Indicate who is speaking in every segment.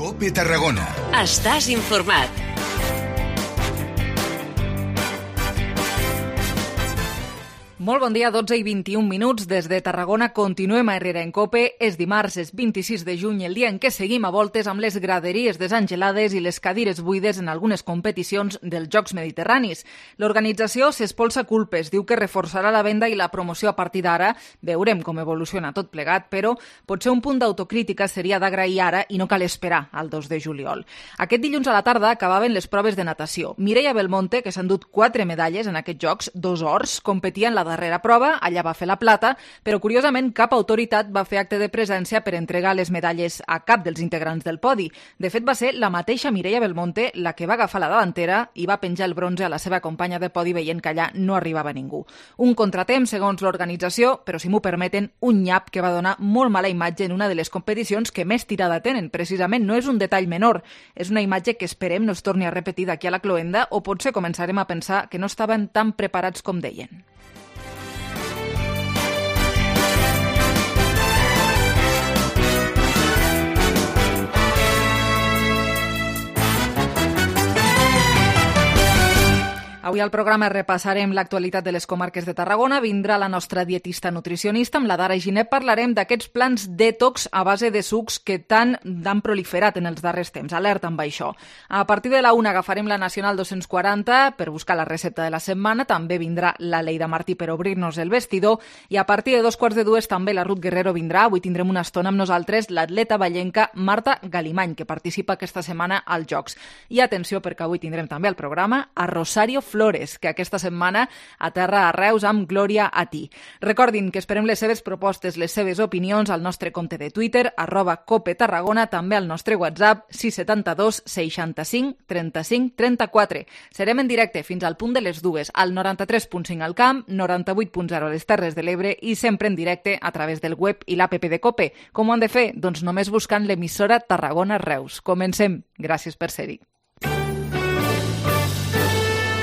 Speaker 1: COPE Tarragona.
Speaker 2: Estàs informat.
Speaker 3: Molt bon dia, 12 i 21 minuts. Des de Tarragona continuem a Herrera en COPE. És dimarts, és 26 de juny, el dia en què seguim a voltes amb les graderies desangelades i les cadires buides en algunes competicions dels Jocs Mediterranis. L'organització s'espolsa culpes, diu que reforçarà la venda i la promoció a partir d'ara. Veurem com evoluciona tot plegat, però potser un punt d'autocrítica seria d'agrair ara i no cal esperar al 2 de juliol. Aquest dilluns a la tarda acabaven les proves de natació. Mireia Belmonte, que s'ha endut 4 medalles en aquests Jocs, 2 ors, competia en la darrera prova, allà va fer la plata, però curiosament cap autoritat va fer acte de presència per entregar les medalles a cap dels integrants del podi. De fet, va ser la mateixa Mireia Belmonte la que va agafar la davantera i va penjar el bronze a la seva companya de podi veient que allà no arribava ningú. Un contratemps, segons l'organització, però si m'ho permeten, un nyap que va donar molt mala imatge en una de les competicions que més tirada tenen. Precisament no és un detall menor, és una imatge que esperem no es torni a repetir d'aquí a la cloenda o potser començarem a pensar que no estaven tan preparats com deien. Avui al programa repassarem l'actualitat de les comarques de Tarragona. Vindrà la nostra dietista nutricionista. Amb la Dara Ginet parlarem d'aquests plans detox a base de sucs que tant han proliferat en els darrers temps. Alerta amb això. A partir de la 1 agafarem la Nacional 240 per buscar la recepta de la setmana. També vindrà la Leida Martí per obrir-nos el vestidor. I a partir de 2:15 també la Ruth Guerrero vindrà. Avui tindrem una estona amb nosaltres l'atleta vallenca Marta Galimany, que participa aquesta setmana als Jocs. I atenció, perquè avui tindrem també al programa a Rosario Flores, que aquesta setmana aterra a Reus amb Glòria a ti. Recordin que esperem les seves propostes, les seves opinions al nostre compte de Twitter, @COPETarragona, també al nostre WhatsApp 672 65 35 34. Serem en directe fins al punt de les 2, al 93.5 al Camp, 98.0 a les Terres de l'Ebre i sempre en directe a través del web i l'APP de COPE. Com ho han de fer? Doncs només buscant l'emissora Tarragona Reus. Comencem. Gràcies per ser-hi.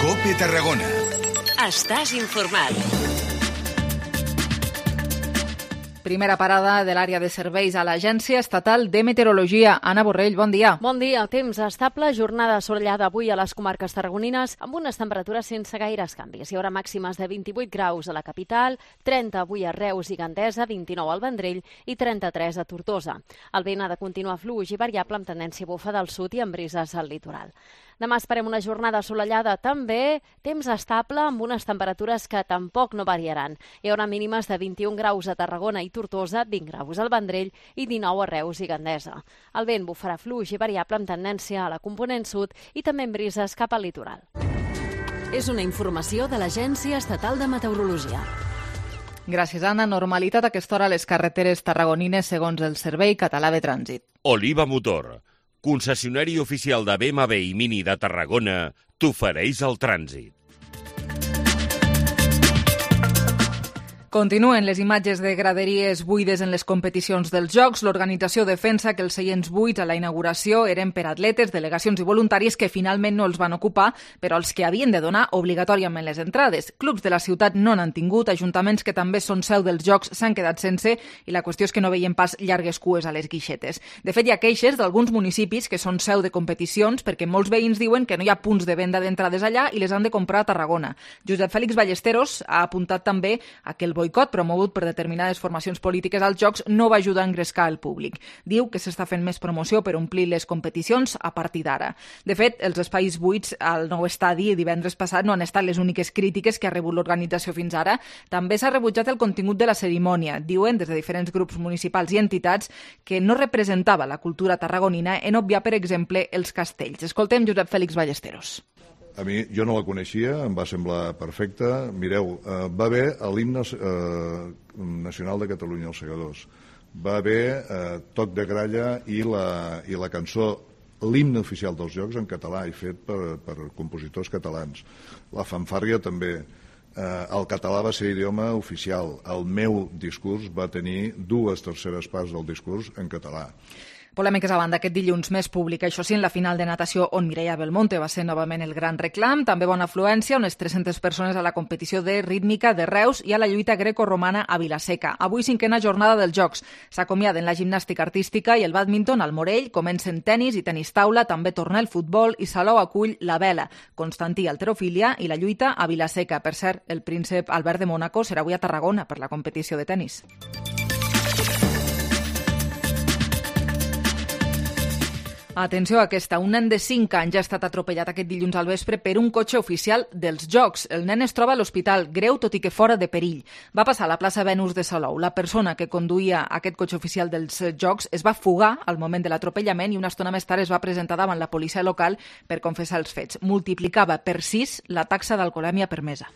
Speaker 1: COPE Tarragona.
Speaker 2: Estàs informat.
Speaker 3: Primera parada de l'àrea de serveis a l'Agència Estatal de Meteorologia. Anna Borrell, bon dia.
Speaker 4: Bon dia. Temps estable, jornada assolellada avui a les comarques tarragonines amb unes temperatures sense gaires canvis. Hi haurà màximes de 28 graus a la capital, 30 avui a Reus i Gandesa, 29 al Vendrell i 33 a Tortosa. El vent ha de continuar fluix i variable amb tendència a bufar del sud i amb brises al litoral. Demà esperem una jornada assolellada, també temps estable amb unes temperatures que tampoc no variaran. Hi haurà mínimes de 21 graus a Tarragona i Tortosa, 20 graus al Vendrell i 19 a Reus i Gandesa. El vent bufarà fluix i variable amb tendència a la component sud i també amb brises cap al litoral.
Speaker 2: És una informació de l'Agència Estatal de Meteorologia.
Speaker 3: Gràcies, Anna. Normalitat a aquesta hora a les carreteres tarragonines segons el Servei Català de Trànsit.
Speaker 5: Oliva Motor, concessionari oficial de BMW i Mini de Tarragona, t'ofereix el trànsit.
Speaker 3: Continuen les imatges de graderies buides en les competicions dels Jocs. L'organització defensa que els seients buits a la inauguració eren per atletes, delegacions i voluntaris que finalment no els van ocupar, però els que havien de donar obligatòriament les entrades. Clubs de la ciutat no n'han tingut, ajuntaments que també són seu dels Jocs s'han quedat sense i la qüestió és que no veien pas llargues cues a les guixetes. De fet, hi ha queixes d'alguns municipis que són seu de competicions perquè molts veïns diuen que no hi ha punts de venda d'entrades allà i les han de comprar a Tarragona. Josep Fèlix Ballesteros ha apuntat també a que el boicot promogut per determinades formacions polítiques als Jocs no va ajudar a engrescar el públic. Diu que s'està fent més promoció per omplir les competicions a partir d'ara. De fet, els espais buits al nou estadi divendres passat no han estat les úniques crítiques que ha rebut l'organització fins ara. També s'ha rebutjat el contingut de la cerimònia. Diuen, des de diferents grups municipals i entitats, que no representava la cultura tarragonina en obviar, per exemple, els castells. Escoltem Josep Fèlix Ballesteros.
Speaker 6: A mi, jo no la coneixia, em va semblar perfecta. Mireu, va haver l'himne nacional de Catalunya, els segadors. Va haver Toc de Gralla i la cançó, l'himne oficial dels Jocs en català i fet per compositors catalans. La fanfàrria també. El català va ser idioma oficial. El meu discurs va tenir 2/3 parts del discurs en català.
Speaker 3: Polèmiques a banda, aquest dilluns més públic, això sí, en la final de natació on Mireia Belmonte va ser novament el gran reclam, també bona afluència, unes 300 persones a la competició de rítmica de Reus i a la lluita grecorromana a Vilaseca. Avui 5a jornada dels Jocs. S'acomiaden la gimnàstica artística i el bàdminton al Morell, comencen tenis i tenis taula, també torna el futbol i Salou acull la vela. Constantí, halterofília i la lluita a Vilaseca. Per cert, el príncep Albert de Mònaco serà avui a Tarragona per la competició de tenis. Atenció a aquesta. Un nen de 5 anys ha estat atropellat aquest dilluns al vespre per un cotxe oficial dels Jocs. El nen es troba a l'hospital, greu tot i que fora de perill. Va passar a la plaça Venus de Salou. La persona que conduïa aquest cotxe oficial dels Jocs es va fugar al moment de l'atropellament i una estona més tard es va presentar davant la policia local per confessar els fets. Multiplicava per 6 la taxa d'alcoholèmia permesa.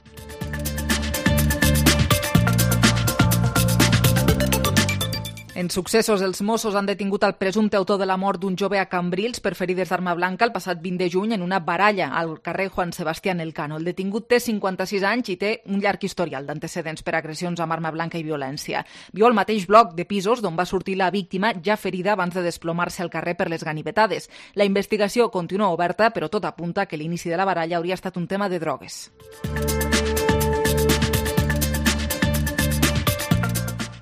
Speaker 3: En successos, els Mossos han detingut el presumpte autor de la mort d'un jove a Cambrils per ferides d'arma blanca el passat 20 de juny en una baralla al carrer Juan Sebastián Elcano. El detingut té 56 anys i té un llarg historial d'antecedents per agressions amb arma blanca i violència. Viu al mateix bloc de pisos d'on va sortir la víctima ja ferida abans de desplomar-se al carrer per les ganivetades. La investigació continua oberta, però tot apunta que l'inici de la baralla hauria estat un tema de drogues.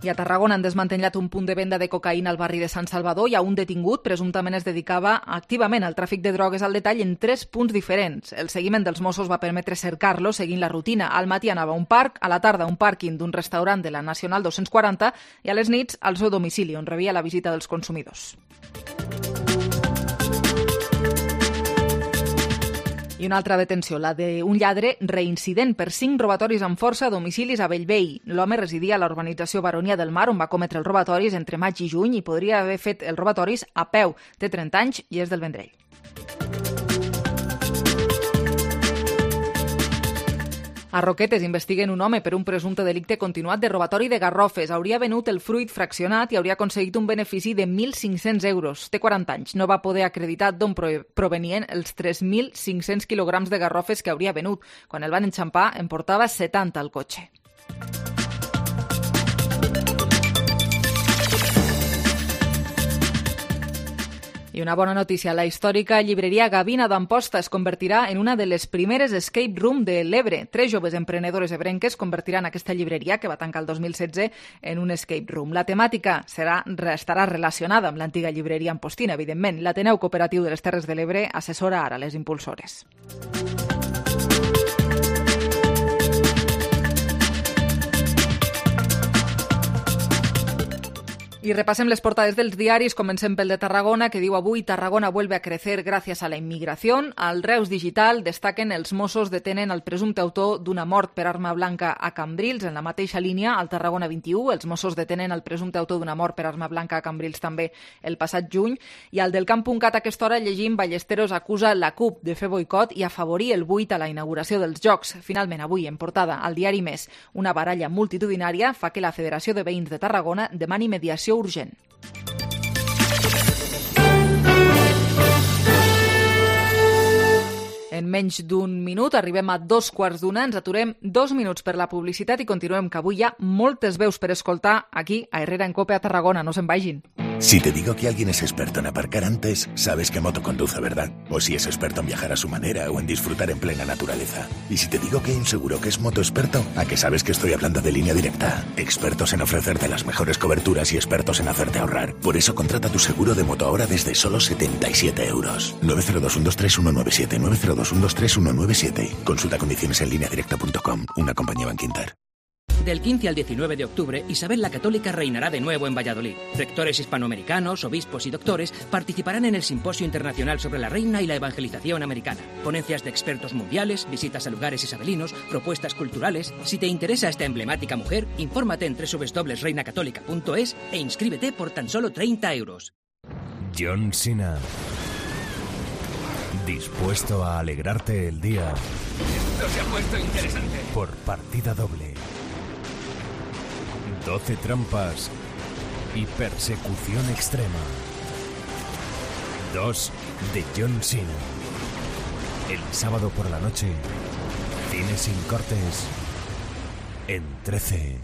Speaker 3: I a Tarragona han desmantellat un punt de venda de cocaïna al barri de Sant Salvador i a un detingut presumptament es dedicava activament al tràfic de drogues al detall en 3 punts diferents. El seguiment dels Mossos va permetre cercar-lo seguint la rutina. Al matí anava a un parc, a la tarda a un pàrquing d'un restaurant de la Nacional 240 i a les nits al seu domicili, on rebia la visita dels consumidors. I una altra detenció, la d'un lladre reincident per 5 robatoris amb força a domicilis a Bellvei. L'home residia a la urbanització Baronia del Mar, on va cometre els robatoris entre maig i juny i podria haver fet els robatoris a peu. Té 30 anys i és del Vendrell. A Roquetes investiguen un home per un presumpte delicte continuat de robatori de garrofes. Hauria venut el fruit fraccionat i hauria aconseguit un benefici de 1.500 euros. Té 40 anys. No va poder acreditar d'on provenien els 3.500 quilograms de garrofes que hauria venut. Quan el van enxampar, en portava 70 al cotxe. I una bona notícia, la històrica llibreria Gavina d'Amposta es convertirà en una de les primeres escape room de l'Ebre. 3 joves emprenedores ebrenques convertiran aquesta llibreria, que va tancar el 2016, en un escape room. La temàtica estarà relacionada amb l'antiga llibreria ampostina, evidentment. L'Ateneu Cooperatiu de les Terres de l'Ebre assessora ara les impulsores. Y repasen las portadas dels diaris. Comencem pel de Tarragona, que diu avui Tarragona vuelve a crecer gracias a la inmigración. Al Reus Digital destaquen els Mossos detenen el presumpte autor d'una mort per arma blanca a Cambrils. En la mateixa línia, al Tarragona 21, els Mossos detenen el presumpte autor d'una mort per arma blanca a Cambrils també el passat juny. I al del Camp.cat a aquesta hora llegim Ballesteros acusa la CUP de fer boicot i afavorir el buit a la inauguració dels Jocs. Finalment, avui, en portada al diari Més, una baralla multitudinària fa que la Federació de Veïns de Tarragona demani mediació urgent. En menys d'un minut arribem a 2:15. Ens aturem 2 minuts per la publicitat i continuem, que avui hi ha moltes veus per escoltar aquí a Herrera en Cope a Tarragona. No se'n vagin.
Speaker 7: Si te digo que alguien es experto en aparcar antes, sabes qué moto conduce, ¿verdad? O si es experto en viajar a su manera o en disfrutar en plena naturaleza. Y si te digo que hay un seguro que es moto experto, ¿a qué sabes que estoy hablando de Línea Directa? Expertos en ofrecerte las mejores coberturas y expertos en hacerte ahorrar. Por eso contrata tu seguro de moto ahora desde solo 77 euros. 902-123-197, 902-123-197. Consulta condiciones en lineadirecta.com, una compañía Bankinter.
Speaker 8: Del 15 al 19 de octubre, Isabel la Católica reinará de nuevo en Valladolid. Rectores hispanoamericanos, obispos y doctores participarán en el Simposio Internacional sobre la Reina y la Evangelización Americana. Ponencias de expertos mundiales, visitas a lugares isabelinos, propuestas culturales. Si te interesa esta emblemática mujer, infórmate en www.reinacatólica.es e inscríbete por tan solo 30 euros.
Speaker 9: John Cena. Dispuesto a alegrarte el día.
Speaker 10: Esto se ha puesto interesante.
Speaker 9: Por partida doble. 12 trampas y persecución extrema. 2 de John Cena. El sábado por la noche, cine sin cortes en 13.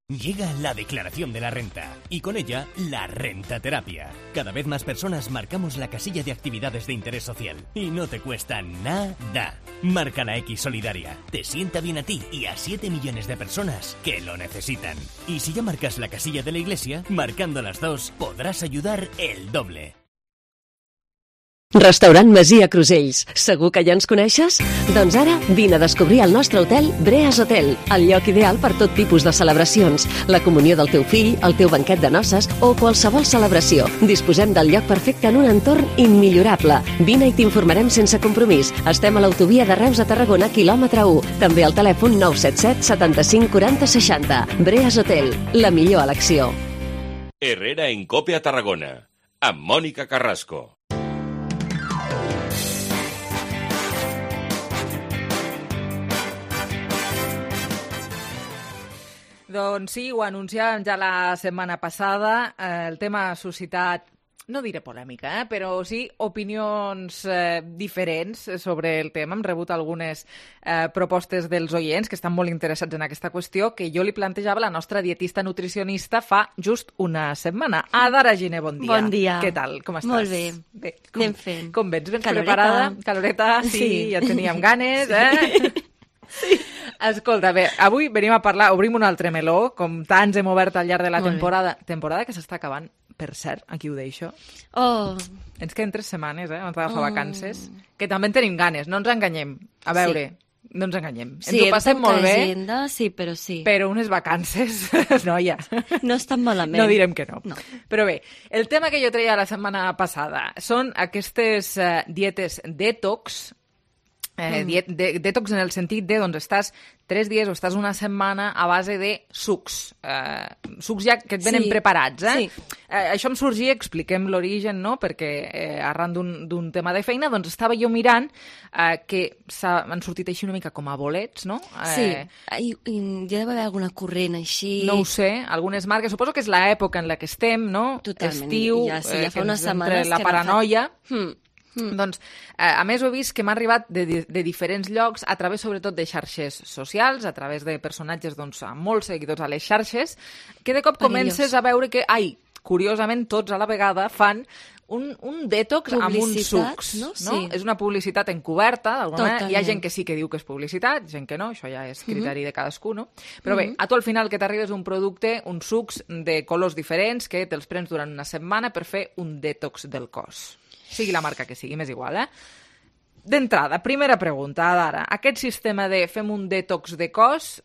Speaker 9: Llega la declaración de la renta y con ella la rentaterapia. Cada vez más personas marcamos la casilla de actividades de interés social y no te cuesta nada. Marca la X solidaria. Te sienta bien a ti y a 7 millones de personas que lo necesitan. Y si ya marcas la casilla de la iglesia, marcando las dos podrás ayudar el doble.
Speaker 11: Restaurant Masia Crusells. Segur que ja ens coneixes? Doncs ara vine a descobrir el nostre hotel Breas Hotel, el lloc ideal per tot tipus de celebracions, la comunió del teu fill, el teu banquet de noces o qualsevol celebració. Disposem del lloc perfecte en un entorn immillorable. Vine i t'informarem sense compromís. Estem a l'autovia de Reus a Tarragona, quilòmetre 1. També al telèfon 977 75 40 60. Breas Hotel, la millor elecció.
Speaker 5: Herrera en COPE a Tarragona, amb Mònica Carrasco.
Speaker 3: Doncs sí, ho anunciàvem ja la setmana passada. El tema ha suscitat, no diré polèmica, però sí opinions diferents sobre el tema. Hem rebut algunes propostes dels oients que estan molt interessats en aquesta qüestió que jo li plantejava a la nostra dietista nutricionista fa just una setmana. Adara Giner, bon dia.
Speaker 12: Bon dia.
Speaker 3: Què tal? Com estàs?
Speaker 12: Molt bé. Anem fent.
Speaker 3: Com vens? Ben
Speaker 12: Caloreta.
Speaker 3: Preparada? Caloreta, sí. Ja teníem ganes, Sí. Escolta, bé, avui venim a parlar, obrim un altre meló, com tants hem obert al llarg de la temporada que s'està acabant, per cert, aquí ho deixo. Ens queden 3 setmanes, abans d'agafar vacances, que també en tenim ganes, no ens enganyem. A veure, no ens enganyem.
Speaker 12: Sí,
Speaker 3: ens ho passem molt bé,
Speaker 12: agenda, sí, però sí.
Speaker 3: Però unes vacances, noia.
Speaker 12: No estan malament.
Speaker 3: No direm que no. Però bé, el tema que jo treia la setmana passada són aquestes dietes detox, detox en el sentit de, doncs, estàs 3 dies o estàs una setmana a base de sucs. Sucs ja que et venen preparats,
Speaker 12: Sí.
Speaker 3: Això em sorgia, expliquem l'origen, no?, perquè arran d'un tema de feina, doncs estava jo mirant que han sortit així una mica com a bolets, no?
Speaker 12: Sí, i ja deu haver alguna corrent així.
Speaker 3: No ho sé, algunes marques. Suposo que és l'època en la que estem, no?
Speaker 12: Totalment.
Speaker 3: Estiu,
Speaker 12: ja
Speaker 3: que
Speaker 12: fa unes
Speaker 3: ens
Speaker 12: setmanes
Speaker 3: entre la
Speaker 12: que
Speaker 3: paranoia. Doncs, a més, ho he vist que m'ha arribat de diferents llocs, a través sobretot de xarxes socials, a través de personatges doncs, amb molts seguidors a les xarxes, que de cop comences a veure que, curiosament, tots a la vegada fan un detox amb uns sucs. No?
Speaker 12: Sí.
Speaker 3: És una publicitat encoberta, d'alguna manera. Hi ha gent que sí que diu que és publicitat, gent que no, això ja és criteri de cadascú, no? Però bé, a tu al final que t'arribes un producte, uns sucs de colors diferents, que te'ls prens durant una setmana per fer un detox del cos. Sigui la marca que sigui, m'és igual, D'entrada, primera pregunta, Adara. Aquest sistema de fem un detox de cos,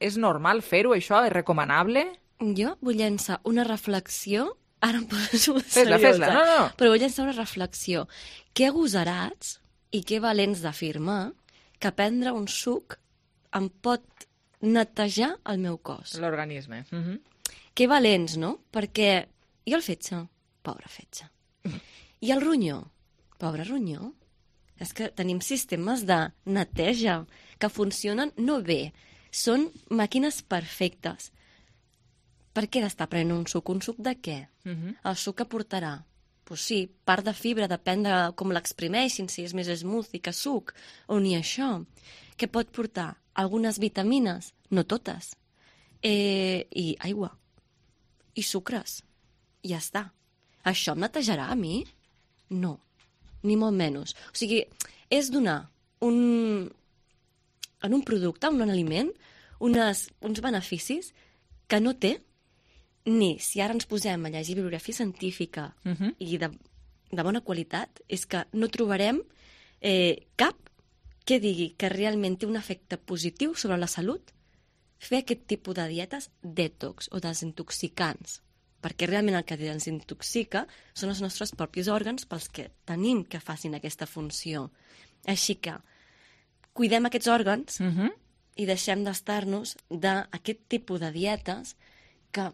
Speaker 3: és normal fer-ho, això? És recomanable?
Speaker 12: Jo vull llançar una reflexió, ara em poso
Speaker 3: seriosa. Fes-la, no.
Speaker 12: Però vull llançar una reflexió. Que agosarats i que valents d'afirmar que prendre un suc em pot netejar el meu cos.
Speaker 3: L'organisme.
Speaker 12: Que valents, no? Perquè i el fetge? Pobre fetge. I el ronyó? Pobre ronyó. És que tenim sistemes de neteja que funcionen no bé. Són màquines perfectes. Per què d'estar prenent un suc? Un suc de què? El suc que portarà? Pues sí, part de fibra, depèn de com l'exprimeixin, si és més smoothie que suc, o ni això. Què pot portar? Algunes vitamines? No totes. I aigua. I sucres. I ja està. Això em netejarà a mi? No, ni molt menys. O sigui, és donar en un producte, en un aliment, uns beneficis que no té, ni si ara ens posem a llegir bibliografia científica i de bona qualitat, és que no trobarem cap que digui que realment té un efecte positiu sobre la salut fer aquest tipus de dietes detox o desintoxicants. Perquè realment el que ens intoxica són els nostres propis òrgans pels que tenim que facin aquesta funció. Així que cuidem aquests òrgans i deixem d'estar-nos d'aquest tipus de dietes que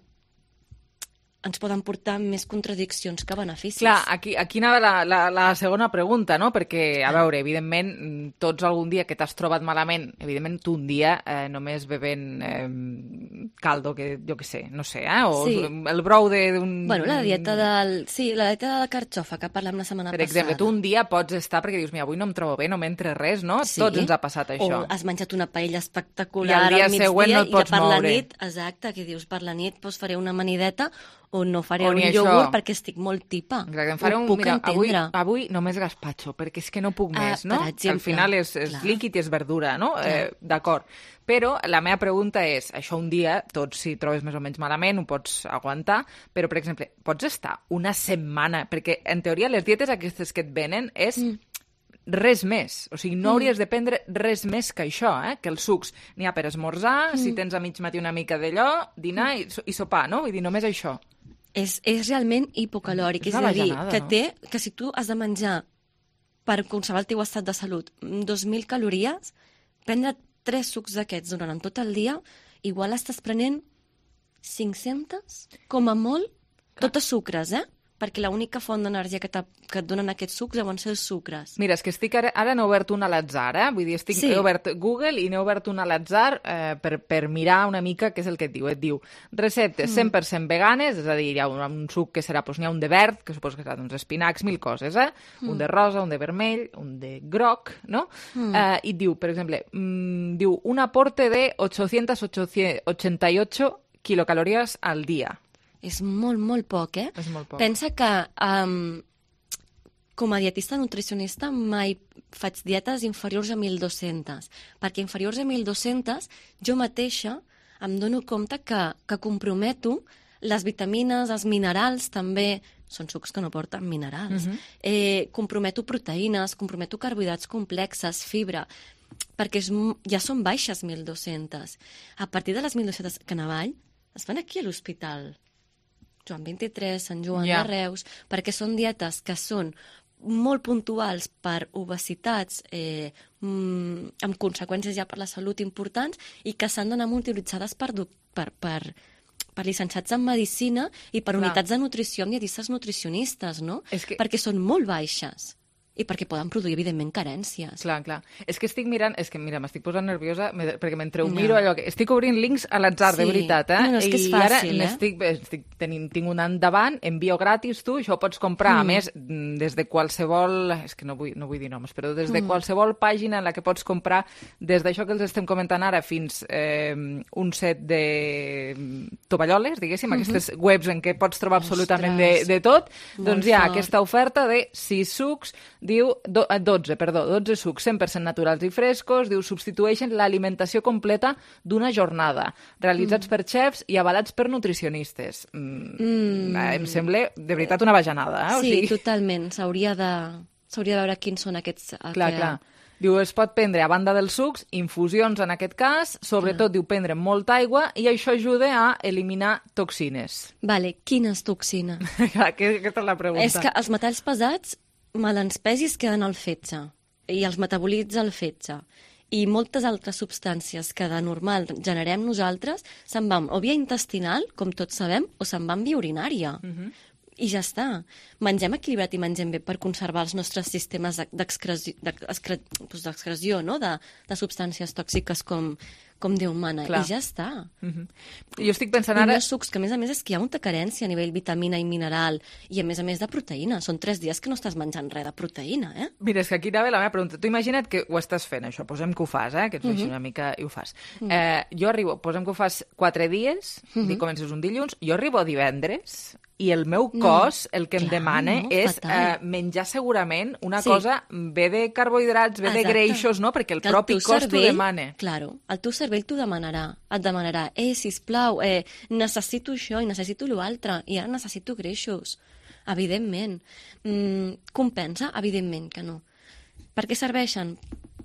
Speaker 12: ens poden portar més contradiccions que beneficis.
Speaker 3: Clar, aquí anava la segona pregunta, no? Perquè, a veure, evidentment, tots algun dia que t'has trobat malament, evidentment tu un dia només bevent caldo, que jo què sé, no sé, o
Speaker 12: Sí.
Speaker 3: el brou d'un...
Speaker 12: Bueno, la dieta de la carxofa que parlem la setmana
Speaker 3: Per exemple,
Speaker 12: passada.
Speaker 3: tu un dia pots estar perquè dius, mira, avui no em trobo bé, no m'entra res, no?
Speaker 12: Sí.
Speaker 3: Tots ens ha passat això.
Speaker 12: O has menjat una paella espectacular
Speaker 3: I al dia
Speaker 12: al migdia
Speaker 3: següent no et pots
Speaker 12: i per la
Speaker 3: moure.
Speaker 12: nit, exacte, que dius, per la nit faré una amanideta o no faré
Speaker 3: O
Speaker 12: un
Speaker 3: ni això.
Speaker 12: iogurt perquè estic molt tipa.
Speaker 3: Exacte, em faré
Speaker 12: Ho
Speaker 3: un...
Speaker 12: puc
Speaker 3: Mira,
Speaker 12: entendre.
Speaker 3: avui només gazpacho, perquè és que no puc més, no?
Speaker 12: per exemple,
Speaker 3: Al final és
Speaker 12: clar.
Speaker 3: líquid i és verdura, no?
Speaker 12: Clar.
Speaker 3: D'acord. Però la meva pregunta és, això un dia, tots si trobes més o menys malament, ho pots aguantar, però, per exemple, pots estar una setmana, perquè en teoria les dietes aquestes que et venen és res més. O sigui, no hauries de prendre res més que això, que els sucs n'hi ha per esmorzar, si tens a mig matí una mica d'allò, dinar i sopar, no? Vull dir, només això.
Speaker 12: És realment hipocalòric, és
Speaker 3: una
Speaker 12: a dir,
Speaker 3: bajanada,
Speaker 12: que
Speaker 3: no?
Speaker 12: que si tu has de menjar per conservar el teu estat de salut 2.000 calories, prendre 3 sucs d'aquests durant tot el dia, igual estàs prenent 500, com a molt, totes sucres, perquè l'única font d'energia que et donen aquests sucs deuen ser els sucres.
Speaker 3: Mira, és que ara n'he obert un a l'atzar, Vull dir,
Speaker 12: Sí.
Speaker 3: he obert Google i n'he obert un a l'atzar per mirar una mica què és el que et diu. Et diu receptes 100% veganes, és a dir, hi ha un suc que serà, n'hi ha un de verd, que suposo que serà d'uns espinacs, 1000 coses, un de rosa, un de vermell, un de groc, no? I et diu, per exemple, diu un aporte de 888 kilocalories al dia.
Speaker 12: És molt, molt poc,
Speaker 3: És molt poc.
Speaker 12: Pensa que com a dietista nutricionista mai faig dietes inferiors a 1.200, perquè inferiors a 1.200 jo mateixa em dono compte que comprometo les vitamines, els minerals també, són sucs que no porten minerals, comprometo proteïnes, comprometo carbohidrats complexes, fibra, perquè ja són baixes 1.200. A partir de les 1.200 que navall es van aquí a l'hospital Joan 23, Sant Joan de Reus, perquè són dietes que són molt puntuals per obesitats amb conseqüències ja per la salut importants i que s'han d'anar monitoritzades per llicenciats en medicina i per unitats de nutrició amb dietistes nutricionistes, no? Perquè són molt baixes. I perquè poden produir, evidentment, carències.
Speaker 3: Clar. És que estic mirant... És que, mira, m'estic posant nerviosa perquè mentre ho miro allò... Estic obrint links a l'atzar, de veritat,
Speaker 12: No, és que és fàcil,
Speaker 3: tinc un endavant, envio gratis, tu, això ho pots comprar, a més, des de qualsevol... És que no vull dir noms, però des de qualsevol pàgina en la que pots comprar, des d'això que els estem comentant ara fins un set de tovalloles, diguéssim, aquestes webs en què pots trobar absolutament de tot, doncs hi ha aquesta oferta de 6 sucs, diu 12 sucs 100% naturals i frescos, diu substitueixen l'alimentació completa d'una jornada, realitzats per xefs i avalats per nutricionistes. Em sembla, de veritat, una bajanada.
Speaker 12: Sí, totalment. S'hauria de veure quins són aquests...
Speaker 3: Clar. Diu, es pot prendre, a banda dels sucs, infusions en aquest cas, sobretot, diu, prendre molta aigua i això ajuda a eliminar toxines.
Speaker 12: Vale, quines toxines?
Speaker 3: Aquesta és la pregunta.
Speaker 12: És que els metalls pesats melanspèsis queden al fetge i els metabolitza el fetge. I moltes altres substàncies que de normal generem nosaltres se'n van o via intestinal, com tots sabem, o se'n van via urinària. I ja està. Mengem equilibrat i mengem bé per conservar els nostres sistemes d'excreció, no? de substàncies tòxiques com Déu mana. I ja està.
Speaker 3: Jo estic pensant ara...
Speaker 12: I els sucs, que a més és que hi ha molta carència a nivell vitamina i mineral i a més de proteïna. Són 3 dies que no estàs menjant res de proteïna,
Speaker 3: Mira, és que aquí anava la meva pregunta. Tu imagina't que ho estàs fent, això. Posem que ho fas, que ets així una mica i ho fas. Jo arribo, posem que ho fas 4 dies, i comences un dilluns, jo arribo divendres i el meu cos el que em demana és menjar segurament una cosa bé de carbohidrats, bé de greixos, no? Perquè el propi cos t'ho demana.
Speaker 12: Claro, el teu cervell t'ho demanarà. Et demanarà, sisplau, necessito això i necessito l'altre, i ara necessito greixos. Evidentment. Compensa? Evidentment que no. Per què serveixen?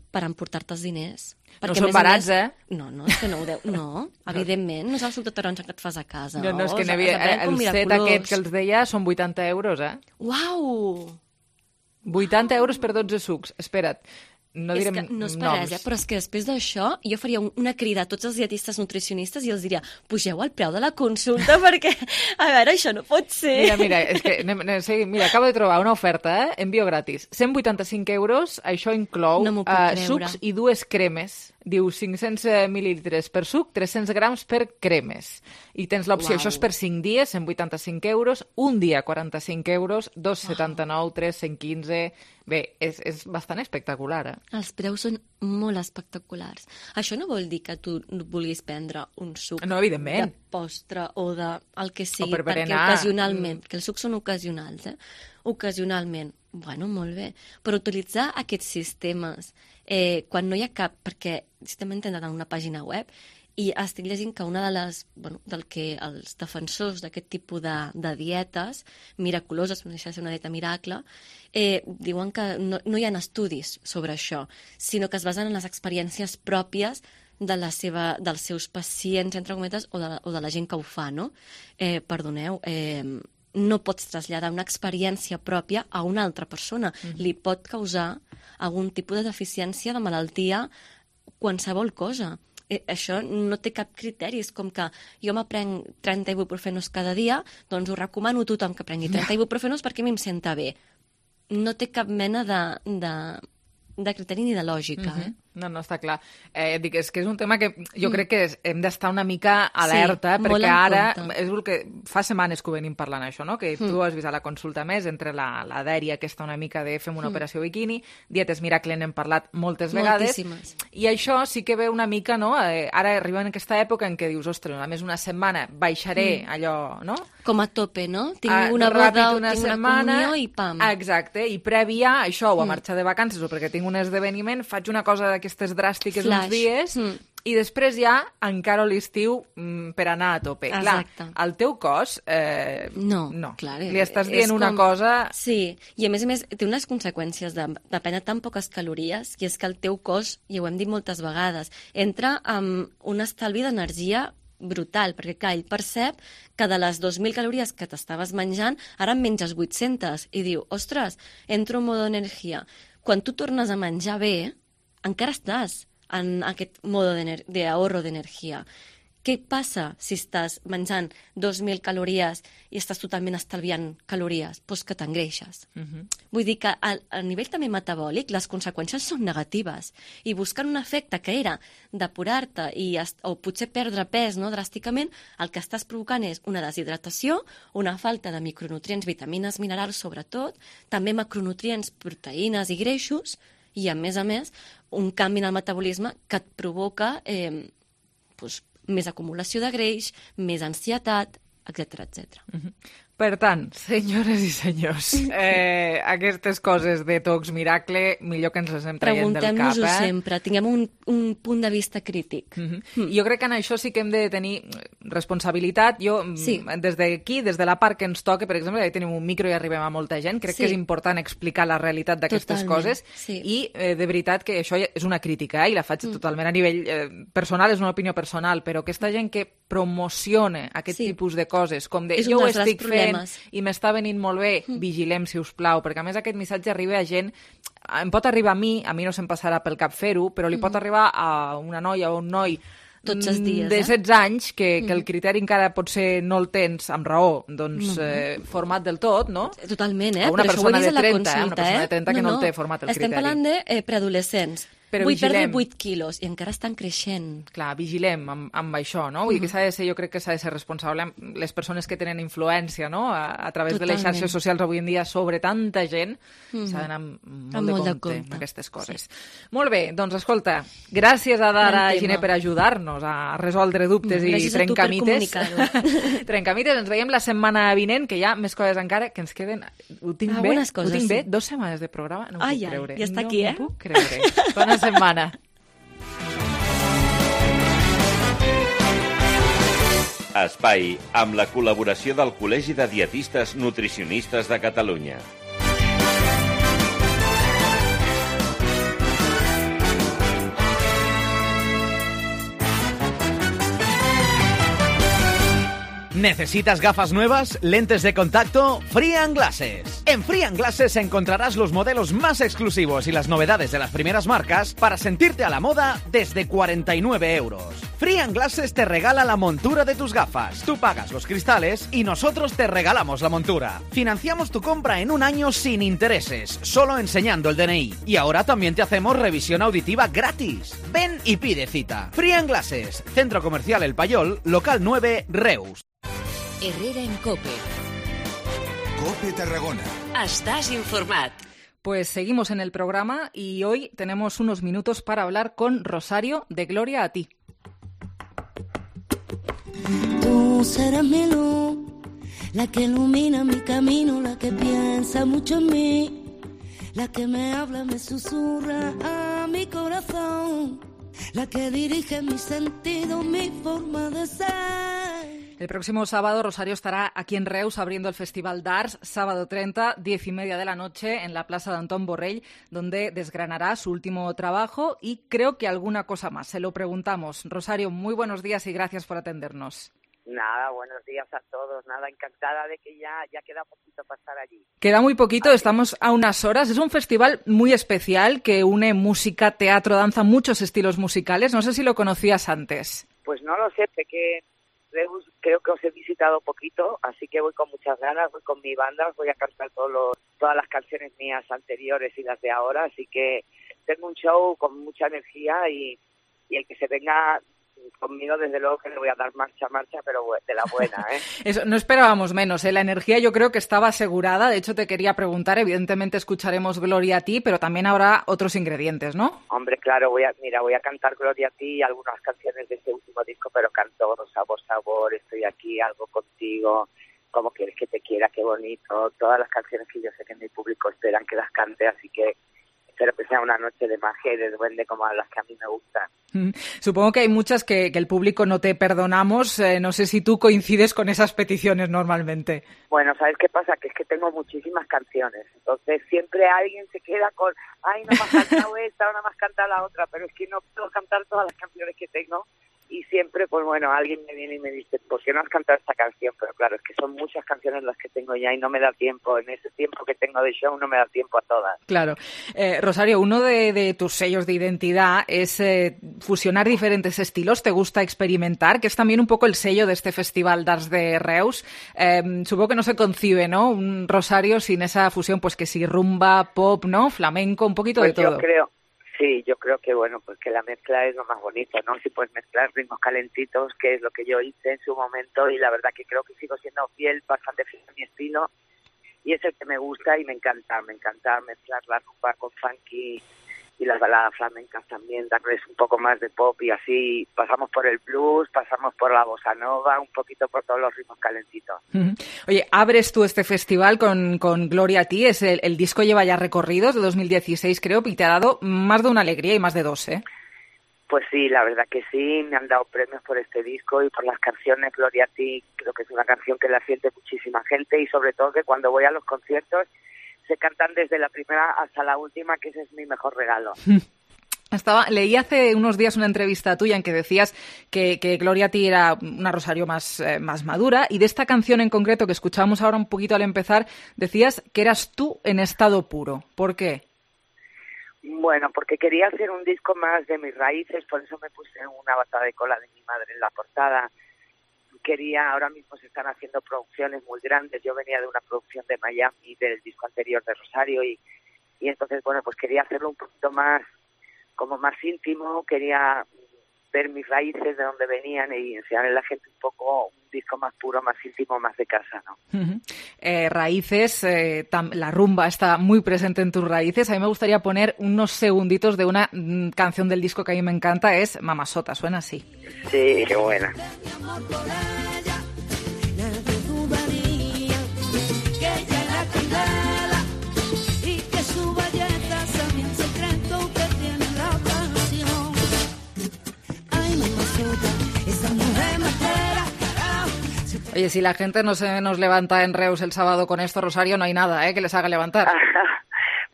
Speaker 12: Per emportar-te els diners.
Speaker 3: No són barats,
Speaker 12: No, és que no ho deu... No, evidentment, no és el suc de taronja que et fas a casa.
Speaker 3: No, és que el set aquest que els deia són 80 euros,
Speaker 12: Uau!
Speaker 3: 80 euros per 12 sucs. Espera't. no direm
Speaker 12: és que no és per
Speaker 3: noms.
Speaker 12: res, però és que després d'això jo faria una crida a tots els dietistes nutricionistes i els diria, pugeu el preu de la consulta perquè, a veure, això no pot ser.
Speaker 3: Mira, és que mira, acabo de trobar una oferta, envio gratis. 185 euros, això inclou
Speaker 12: No m'ho puc creure.
Speaker 3: sucs i 2 cremes. Diu 500 mil·lilitres per suc, 300 grams per cremes. I tens l'opció,
Speaker 12: Uau.
Speaker 3: això és per 5 dies, 185 euros, un dia 45 euros, 2,79, 3, 115... Bé, és bastant espectacular, eh?
Speaker 12: Els preus són molt espectaculars. Això no vol dir que tu vulguis prendre un suc
Speaker 3: No, evidentment.
Speaker 12: de postre o de el que sigui,
Speaker 3: per
Speaker 12: perquè
Speaker 3: berenar.
Speaker 12: ocasionalment, que els sucs són ocasionals, ocasionalment, bueno, molt bé, però utilitzar aquests sistemes quan no hi ha cap, perquè estem entrant en una pàgina web i estic llegint que una de les, del que els defensors d'aquest tipus de dietes miraculoses, no deixa de ser una dieta miracle, diuen que no hi ha estudis sobre això, sinó que es basen en les experiències pròpies dels seus pacients, entre cometes, o de la gent que ho fa, no? Perdoneu, no pots traslladar una experiència pròpia a una altra persona. Li pot causar algun tipus de deficiència, de malaltia, qualsevol cosa. Això no té cap criteri, és com que jo m'aprenc 30 ibuprofenos cada dia, doncs ho recomano a tothom que prengui 30 ibuprofenos perquè a mi em senta bé. No té cap mena de criteri ni de lògica,
Speaker 3: No, està clar. Dic, és que és un tema que jo crec que hem d'estar una mica alerta,
Speaker 12: Sí,
Speaker 3: perquè
Speaker 12: molt en
Speaker 3: ara,
Speaker 12: compte.
Speaker 3: és el que fa setmanes que ho venim parlant això, no? Que tu has vist a la consulta més, entre la dèria aquesta una mica de fem una operació bikini, dietes miracle n'hem parlat moltes vegades,
Speaker 12: Moltíssimes.
Speaker 3: i això sí que ve una mica, no? Ara arriba en aquesta època en què dius, ostres, a més una setmana baixaré allò, no?
Speaker 12: Com a tope, no? Tinc una
Speaker 3: ràpid
Speaker 12: boda,
Speaker 3: una
Speaker 12: tinc una
Speaker 3: setmana,
Speaker 12: comunió i pam.
Speaker 3: Exacte, i prèvia a això, o a marxar de vacances o perquè tinc un esdeveniment, faig una cosa d'aquestes dràstiques
Speaker 12: Flash.
Speaker 3: uns dies i després ja encaro l'estiu per anar a tope.
Speaker 12: Exacte.
Speaker 3: Clar, el teu cos
Speaker 12: No,
Speaker 3: clar,
Speaker 12: clar,
Speaker 3: li estàs
Speaker 12: és
Speaker 3: dient una cosa...
Speaker 12: Sí, i a més té unes conseqüències de prendre tan poques calories, i és que el teu cos, i ho hem dit moltes vegades, entra amb un estalvi d'energia brutal, perquè clar, ell percep que de les 2.000 calories que t'estaves menjant, ara en menges 800, i diu, ostres, entro en modo energia. Quan tu tornes a menjar bé, encara estàs en aquest modo d'ahorro d'energia. Què passa si estàs menjant 2.000 calories i estàs totalment estalviant calories? Doncs que t'engreixes. Vull dir que a nivell també metabòlic les conseqüències són negatives, i buscant un efecte que era depurar-te o potser perdre pes, no, dràsticament, el que estàs provocant és una deshidratació, una falta de micronutrients, vitamines, minerals sobretot, també macronutrients, proteïnes i greixos, i a més, un canvi en el metabolisme que et provoca més acumulació de greix, més ansietat, etc.
Speaker 3: Per tant, senyores i senyors, aquestes coses de tocs miracle, millor que ens les hem traient del cap.
Speaker 12: Preguntem-nos-ho sempre, tinguem un punt de vista crític.
Speaker 3: Jo crec que en això sí que hem de tenir responsabilitat. Jo, des d'aquí, des de la part que ens toca, per exemple, ja tenim un micro i arribem a molta gent, crec que és important explicar la realitat d'aquestes coses, i de veritat que això és una crítica, i la faig totalment a nivell personal, és una opinió personal, però aquesta gent que promociona aquest tipus de coses, com de jo ho estic fent i m'està venint molt bé, vigilem, si us plau, perquè a més aquest missatge arriba a gent, em pot arribar a mi no se'm passarà pel cap fer-ho, però li pot arribar a una noia o un noi
Speaker 12: tots els dies,
Speaker 3: de 16 anys, que el criteri encara potser no el tens amb raó, doncs format del tot, no?
Speaker 12: Totalment,
Speaker 3: o una
Speaker 12: però
Speaker 3: persona
Speaker 12: això ho he vist
Speaker 3: de 30,
Speaker 12: a la consulta,
Speaker 3: una persona de 30 que no el té format el
Speaker 12: Estem
Speaker 3: criteri.
Speaker 12: parlant de preadolescents.
Speaker 3: Però
Speaker 12: Vull
Speaker 3: vigilem.
Speaker 12: perdre 8 quilos i encara estan creixent.
Speaker 3: Clar, vigilem amb això, no? Vull dir que s'ha de ser, jo crec que s'ha de ser responsable amb les persones que tenen influència, no? A través de les xarxes socials avui en dia sobre tanta gent, s'ha d'anar molt de compte amb aquestes coses. Molt bé, doncs escolta, gràcies a Dara Giner per ajudar-nos a resoldre dubtes i trencamites. Trencamites, ens veiem la setmana vinent, que hi ha més coses encara que ens queden... Ho tinc bé? 2 setmanes de programa? No m'ho puc creure.
Speaker 12: Ja està aquí,
Speaker 3: No m'ho puc creure. Bona setmana.
Speaker 5: Espai amb la col·laboració del Col·legi de Dietistes Nutricionistes de Catalunya.
Speaker 13: ¿Necesitas gafas nuevas? ¿Lentes de contacto? Free & Glasses. En Free & Glasses encontrarás los modelos más exclusivos y las novedades de las primeras marcas para sentirte a la moda desde 49 euros. Free & Glasses te regala la montura de tus gafas. Tú pagas los cristales y nosotros te regalamos la montura. Financiamos tu compra en un año sin intereses, solo enseñando el DNI. Y ahora también te hacemos revisión auditiva gratis. Ven y pide cita. Free & Glasses, Centro Comercial El Payol, local 9, Reus.
Speaker 11: Herrera en COPE.
Speaker 1: COPE Tarragona.
Speaker 11: Estás informat.
Speaker 3: Pues seguimos en el programa y hoy tenemos unos minutos para hablar con Rosario de Gloria a ti.
Speaker 14: Tú serás mi luz, la que ilumina mi camino, la que piensa mucho en mí, la que me habla, me susurra a mi corazón, la que dirige mi sentido, mi forma de ser.
Speaker 3: El próximo sábado Rosario estará aquí en Reus abriendo el Festival d'Arts, sábado 30, 10:30 de la noche, en la plaza de Antón Borrell, donde desgranará su último trabajo y creo que alguna cosa más. Se lo preguntamos. Rosario, muy buenos días y gracias por atendernos.
Speaker 15: Nada, buenos días a todos. Nada, encantada de que ya queda poquito para estar allí.
Speaker 3: Queda muy poquito, estamos a unas horas. Es un festival muy especial que une música, teatro, danza, muchos estilos musicales. No sé si lo conocías antes.
Speaker 15: Pues no lo sé, sé que Reus creo que os he visitado poquito, así que voy con muchas ganas, voy con mi banda, voy a cantar todas las canciones mías anteriores y las de ahora, así que tengo un show con mucha energía y el que se venga conmigo, desde luego que le voy a dar marcha, pero de la buena, ¿eh?
Speaker 3: Eso, no esperábamos menos, ¿eh? La energía yo creo que estaba asegurada. De hecho, te quería preguntar, evidentemente escucharemos Gloria a ti, pero también habrá otros ingredientes, ¿no?
Speaker 15: Hombre, claro, voy a cantar Gloria a ti y algunas canciones de este último disco, pero canto Sabor, Sabor, Estoy aquí, Algo contigo, Cómo quieres que te quiera, Qué bonito, todas las canciones que yo sé que mi público esperan que las cante, así que espero que sea una noche de magia y de duende como las que a mí me gustan.
Speaker 3: Supongo que hay muchas que el público no te perdonamos. No sé si tú coincides con esas peticiones normalmente.
Speaker 15: Bueno, ¿sabes qué pasa? Que es que tengo muchísimas canciones. Entonces siempre alguien se queda con, ay, no me has cantado esta, no me has cantado la otra, pero es que no puedo cantar todas las canciones que tengo. Y siempre, pues bueno, alguien me viene y me dice, ¿por qué no has cantado esta canción? Pero claro, es que son muchas canciones las que tengo ya y no me da tiempo. En ese tiempo que tengo de show no me da tiempo a todas.
Speaker 3: Claro. Rosario, uno de tus sellos de identidad es fusionar diferentes estilos. ¿Te gusta experimentar? Que es también un poco el sello de este Festival d'Arts de Reus. Supongo que no se concibe, ¿no? Un Rosario sin esa fusión, pues que sí, rumba, pop, ¿no? Flamenco, un poquito
Speaker 15: pues
Speaker 3: de todo.
Speaker 15: Yo creo que, bueno, pues que la mezcla es lo más bonito, ¿no? Si puedes mezclar ritmos calentitos, que es lo que yo hice en su momento, y la verdad que creo que sigo siendo bastante fiel a mi estilo, y es el que me gusta y me encanta mezclar la rumba con funky y las baladas flamencas también, darles un poco más de pop y así pasamos por el blues, pasamos por la bossa nova, un poquito por todos los ritmos calentitos.
Speaker 3: Oye, abres tú este festival con Gloria a ti, el disco lleva ya recorridos de 2016 creo, y te ha dado más de una alegría y más de dos, ¿eh?
Speaker 15: Pues sí, la verdad que sí, me han dado premios por este disco y por las canciones. Gloria a ti creo que es una canción que la siente muchísima gente y sobre todo que cuando voy a los conciertos se cantan desde la primera hasta la última, que ese es mi mejor regalo.
Speaker 3: Leí hace unos días una entrevista tuya en que decías que Gloria a ti era una Rosario más madura, y de esta canción en concreto que escuchábamos ahora un poquito al empezar, decías que eras tú en estado puro. ¿Por qué?
Speaker 15: Bueno, porque quería hacer un disco más de mis raíces, por eso me puse una bata de cola de mi madre en la portada. Ahora mismo se están haciendo producciones muy grandes. Yo venía de una producción de Miami, del disco anterior de Rosario, y entonces, bueno, pues quería hacerlo un poquito más, como más íntimo, quería ver mis raíces, de dónde venían, y enseñarle a la gente un poco un disco más puro, más íntimo, más de casa, ¿no?
Speaker 3: Raíces, la rumba está muy presente en tus raíces. A mí me gustaría poner unos segunditos de una canción del disco que a mí me encanta, es Mamasota, suena así.
Speaker 15: Sí, qué buena.
Speaker 3: Oye, si la gente no se nos levanta en Reus el sábado con esto, Rosario, no hay nada que les haga levantar.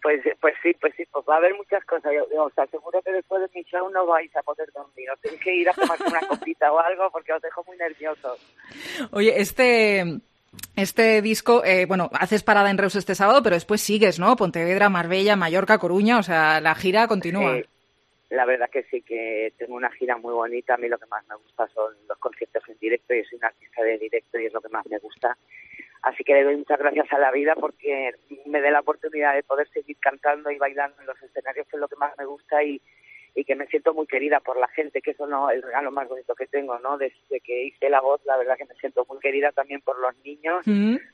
Speaker 15: Pues sí, pues va a haber muchas cosas. Yo os aseguro que después de mi show no vais a poder dormir. Os tenéis que ir a tomar una copita o algo porque os dejo muy nerviosos.
Speaker 3: Oye, este disco, haces parada en Reus este sábado, pero después sigues, ¿no? Pontevedra, Marbella, Mallorca, Coruña, o sea, la gira continúa.
Speaker 15: La verdad que sí, que tengo una gira muy bonita. A mí lo que más me gusta son los conciertos en directo. Yo soy una artista de directo y es lo que más me gusta. Así que le doy muchas gracias a la vida porque me dé la oportunidad de poder seguir cantando y bailando en los escenarios, que es lo que más me gusta, y que me siento muy querida por la gente, que eso no es el regalo más bonito que tengo, ¿no? Desde que hice La Voz, la verdad que me siento muy querida también por los niños.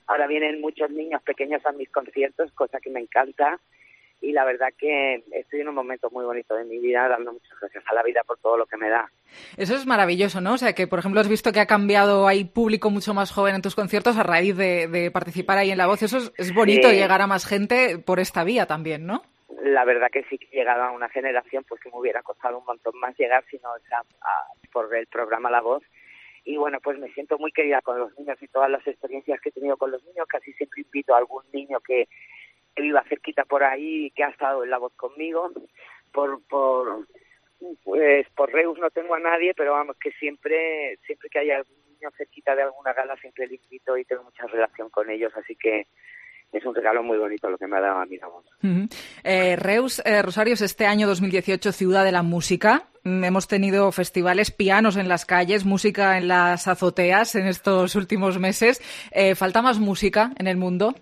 Speaker 15: Ahora vienen muchos niños pequeños a mis conciertos, cosa que me encanta. Y la verdad que estoy en un momento muy bonito de mi vida, dando muchas gracias a la vida por todo lo que me da.
Speaker 3: Eso es maravilloso, ¿no? O sea, que por ejemplo has visto que ha cambiado, hay público mucho más joven en tus conciertos a raíz de participar ahí en La Voz. Eso es bonito, llegar a más gente por esta vía también, ¿no?
Speaker 15: La verdad que sí, que he llegado a una generación pues que me hubiera costado un montón más llegar si no por el programa La Voz. Y bueno, pues me siento muy querida con los niños y todas las experiencias que he tenido con los niños. Casi siempre invito a algún niño que viva cerquita por ahí y que ha estado en La Voz conmigo. Por Reus no tengo a nadie, pero vamos, que siempre que haya algún niño cerquita de alguna gala siempre le invito y tengo mucha relación con ellos, así que es un regalo muy bonito lo que me ha dado a mí La Voz.
Speaker 3: Reus, Rosario, es este año 2018 Ciudad de la Música. Hemos tenido festivales, pianos en las calles, música en las azoteas en estos últimos meses. ¿Falta más música en el mundo?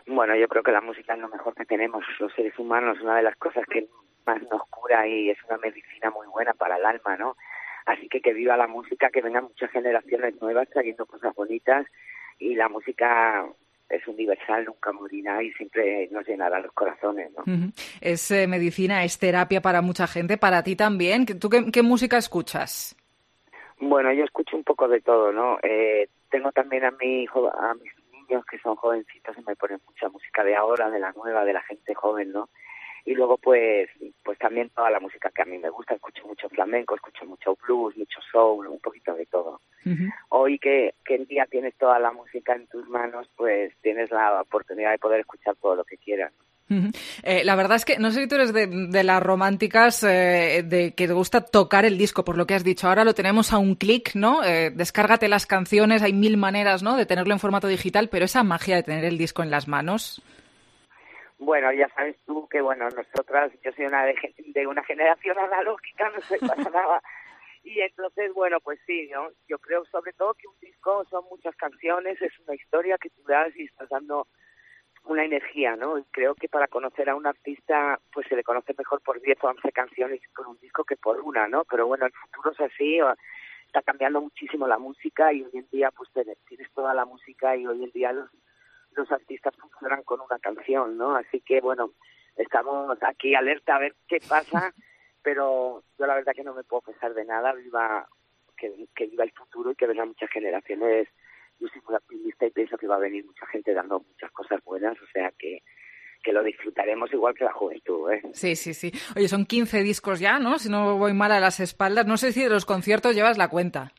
Speaker 15: Bueno, yo creo que la música es lo mejor que tenemos los seres humanos, una de las cosas que más nos cura y es una medicina muy buena para el alma, ¿no? Así que viva la música, que vengan muchas generaciones nuevas trayendo cosas bonitas, y la música es universal, nunca morirá y siempre nos llenará los corazones, ¿no?
Speaker 3: Es medicina, es terapia para mucha gente, para ti también. ¿Tú qué música escuchas?
Speaker 15: Bueno, yo escucho un poco de todo, ¿no? Tengo también a mis niños que son jovencitos y me ponen mucha música de ahora, de la nueva, de la gente joven, ¿no? Y luego pues también toda la música que a mí me gusta, escucho mucho flamenco, escucho mucho blues, mucho soul, un poquito de todo. Hoy que en día tienes toda la música en tus manos, pues tienes la oportunidad de poder escuchar todo lo que quieras.
Speaker 3: La verdad es que no sé si tú eres de las románticas de que te gusta tocar el disco, por lo que has dicho. Ahora lo tenemos a un clic, ¿no? Descárgate las canciones, hay 1000 maneras, ¿no?, de tenerlo en formato digital, pero esa magia de tener el disco en las manos.
Speaker 15: Bueno, ya sabes tú que, nosotras, yo soy de una generación analógica, no sé, pasa nada. Y entonces, pues sí, ¿no? Yo creo sobre todo que un disco son muchas canciones, es una historia que tú das y estás dando una energía, ¿no? Y creo que para conocer a un artista, pues se le conoce mejor por 10 o 11 canciones por un disco que por una, ¿no? Pero bueno, el futuro es así, está cambiando muchísimo la música y hoy en día pues tienes toda la música y hoy en día los artistas funcionan con una canción, ¿no? Así que estamos aquí alerta a ver qué pasa, pero yo la verdad que no me puedo pesar de nada, que viva el futuro y que vengan muchas generaciones. Yo soy muy optimista y pienso que va a venir mucha gente dando muchas cosas buenas, o sea que lo disfrutaremos igual que la juventud, ¿eh?
Speaker 3: Sí. Oye, son 15 discos ya, ¿no? Si no voy mal a las espaldas. No sé si de los conciertos llevas la cuenta.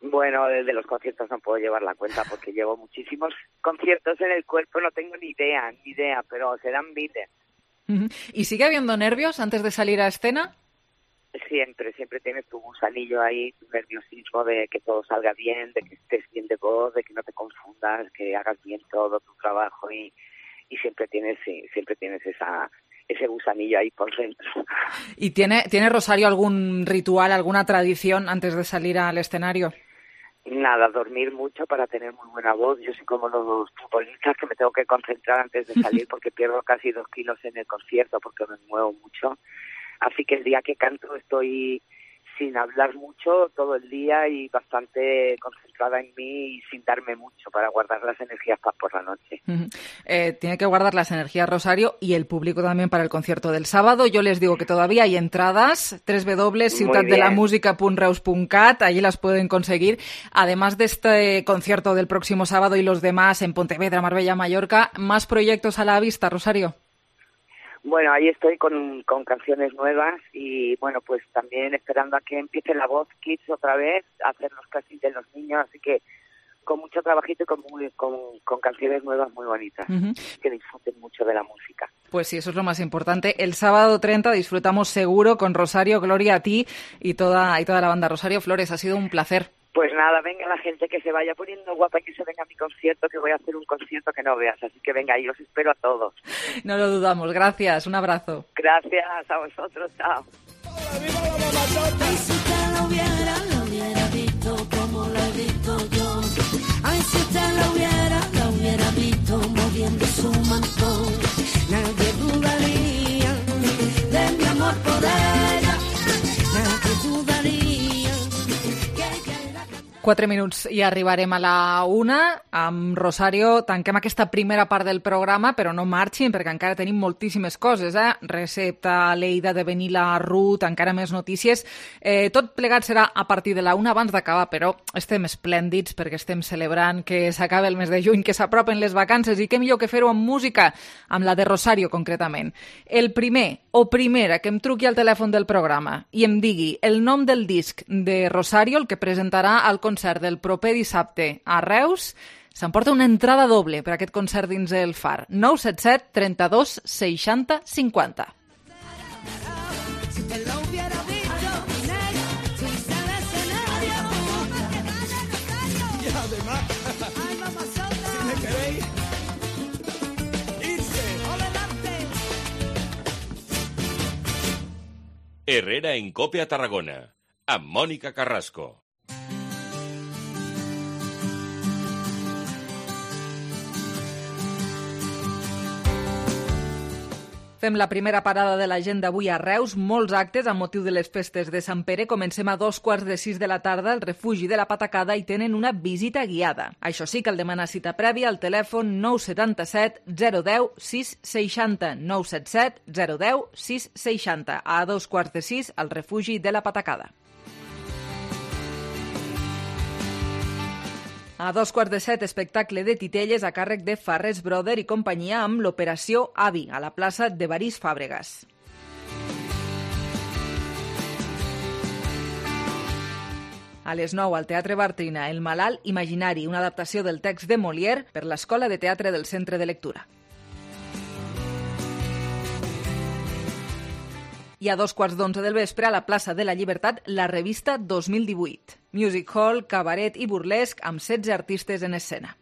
Speaker 15: Bueno, de los conciertos no puedo llevar la cuenta porque llevo muchísimos conciertos en el cuerpo, no tengo ni idea, pero serán miles.
Speaker 3: ¿Y sigue habiendo nervios antes de salir a escena?
Speaker 15: Siempre tienes tu gusanillo ahí, tu nerviosismo de que todo salga bien, de que estés bien de voz, de que no te confundas, que hagas bien todo tu trabajo y siempre tienes ese gusanillo ahí por dentro.
Speaker 3: ¿Y tiene Rosario algún ritual, alguna tradición antes de salir al escenario?
Speaker 15: Nada, dormir mucho para tener muy buena voz. Yo soy como los futbolistas que me tengo que concentrar antes de salir porque pierdo casi 2 kilos en el concierto porque me muevo mucho. Así que el día que canto estoy sin hablar mucho todo el día y bastante concentrada en mí y sin darme mucho para guardar las energías para por la noche.
Speaker 3: Tiene que guardar las energías Rosario y el público también para el concierto del sábado. Yo les digo que todavía hay entradas, www.ciutadelamusica.reus.cat, allí las pueden conseguir. Además de este concierto del próximo sábado y los demás en Pontevedra, Marbella, Mallorca, ¿más proyectos a la vista, Rosario?
Speaker 15: Bueno, ahí estoy con canciones nuevas y pues también esperando a que empiece La Voz Kids otra vez, a hacer los castings de los niños, así que con mucho trabajito y con canciones nuevas muy bonitas. Que disfruten mucho de la música.
Speaker 3: Pues sí, eso es lo más importante. El sábado 30 disfrutamos seguro con Rosario, Gloria, a ti y toda la banda. Rosario Flores, ha sido un placer.
Speaker 15: Pues nada, venga la gente que se vaya poniendo guapa y que se venga a mi concierto, que voy a hacer un concierto que no veas. Así que venga, y os espero a todos.
Speaker 3: No lo dudamos. Gracias, un abrazo.
Speaker 15: Gracias a vosotros, chao.
Speaker 14: Ay, si usted lo hubiera visto como lo he visto yo. Ay, si usted lo hubiera visto moviendo su mantón. Nadie dudaría de mi amor por ella. Nadie dudaría.
Speaker 3: 4 minuts i arribarem a la 1. Amb Rosario tanquem aquesta primera part del programa, però no marxin perquè encara tenim moltíssimes coses, Recepta, Lleida, de venir la Ruth, encara més notícies. Tot plegat serà a partir de la 1 abans d'acabar, però estem esplèndids perquè estem celebrant que s'acaba el mes de juny, que s'apropen les vacances i què millor que fer-ho amb música, amb la de Rosario concretament. El primer o primera que em truqui al telèfon del programa i em digui el nom del disc de Rosario, el que presentarà al concert del proper dissabte a Reus, s'emporta una entrada doble per a aquest concert dins el Far. 977 32 60 50.
Speaker 5: Herrera en COPE a Tarragona, amb Mònica Carrasco.
Speaker 3: Fem la primera parada de l'agenda avui a Reus. Molts actes amb motiu de les festes de Sant Pere. Comencem a 2:45 de la tarda al refugi de la Patacada i tenen una visita guiada. Això sí, cal demanar cita prèvia al telèfon 977 010 660. 977 010 660. A 2:45 al refugi de la Patacada. A 6:45, espectacle de titelles a càrrec de Farrés Brother i companyia amb l'Operació Avi, a la plaça de Barís Fàbregas. A les 9, al Teatre Bartrina, El malalt imaginari, una adaptació del text de Molière per l'Escola de Teatre del Centre de Lectura. I a 2:15 del vespre, a la plaça de la Llibertat, la revista 2018. Music Hall, cabaret i burlesc amb 16 artistes en escena.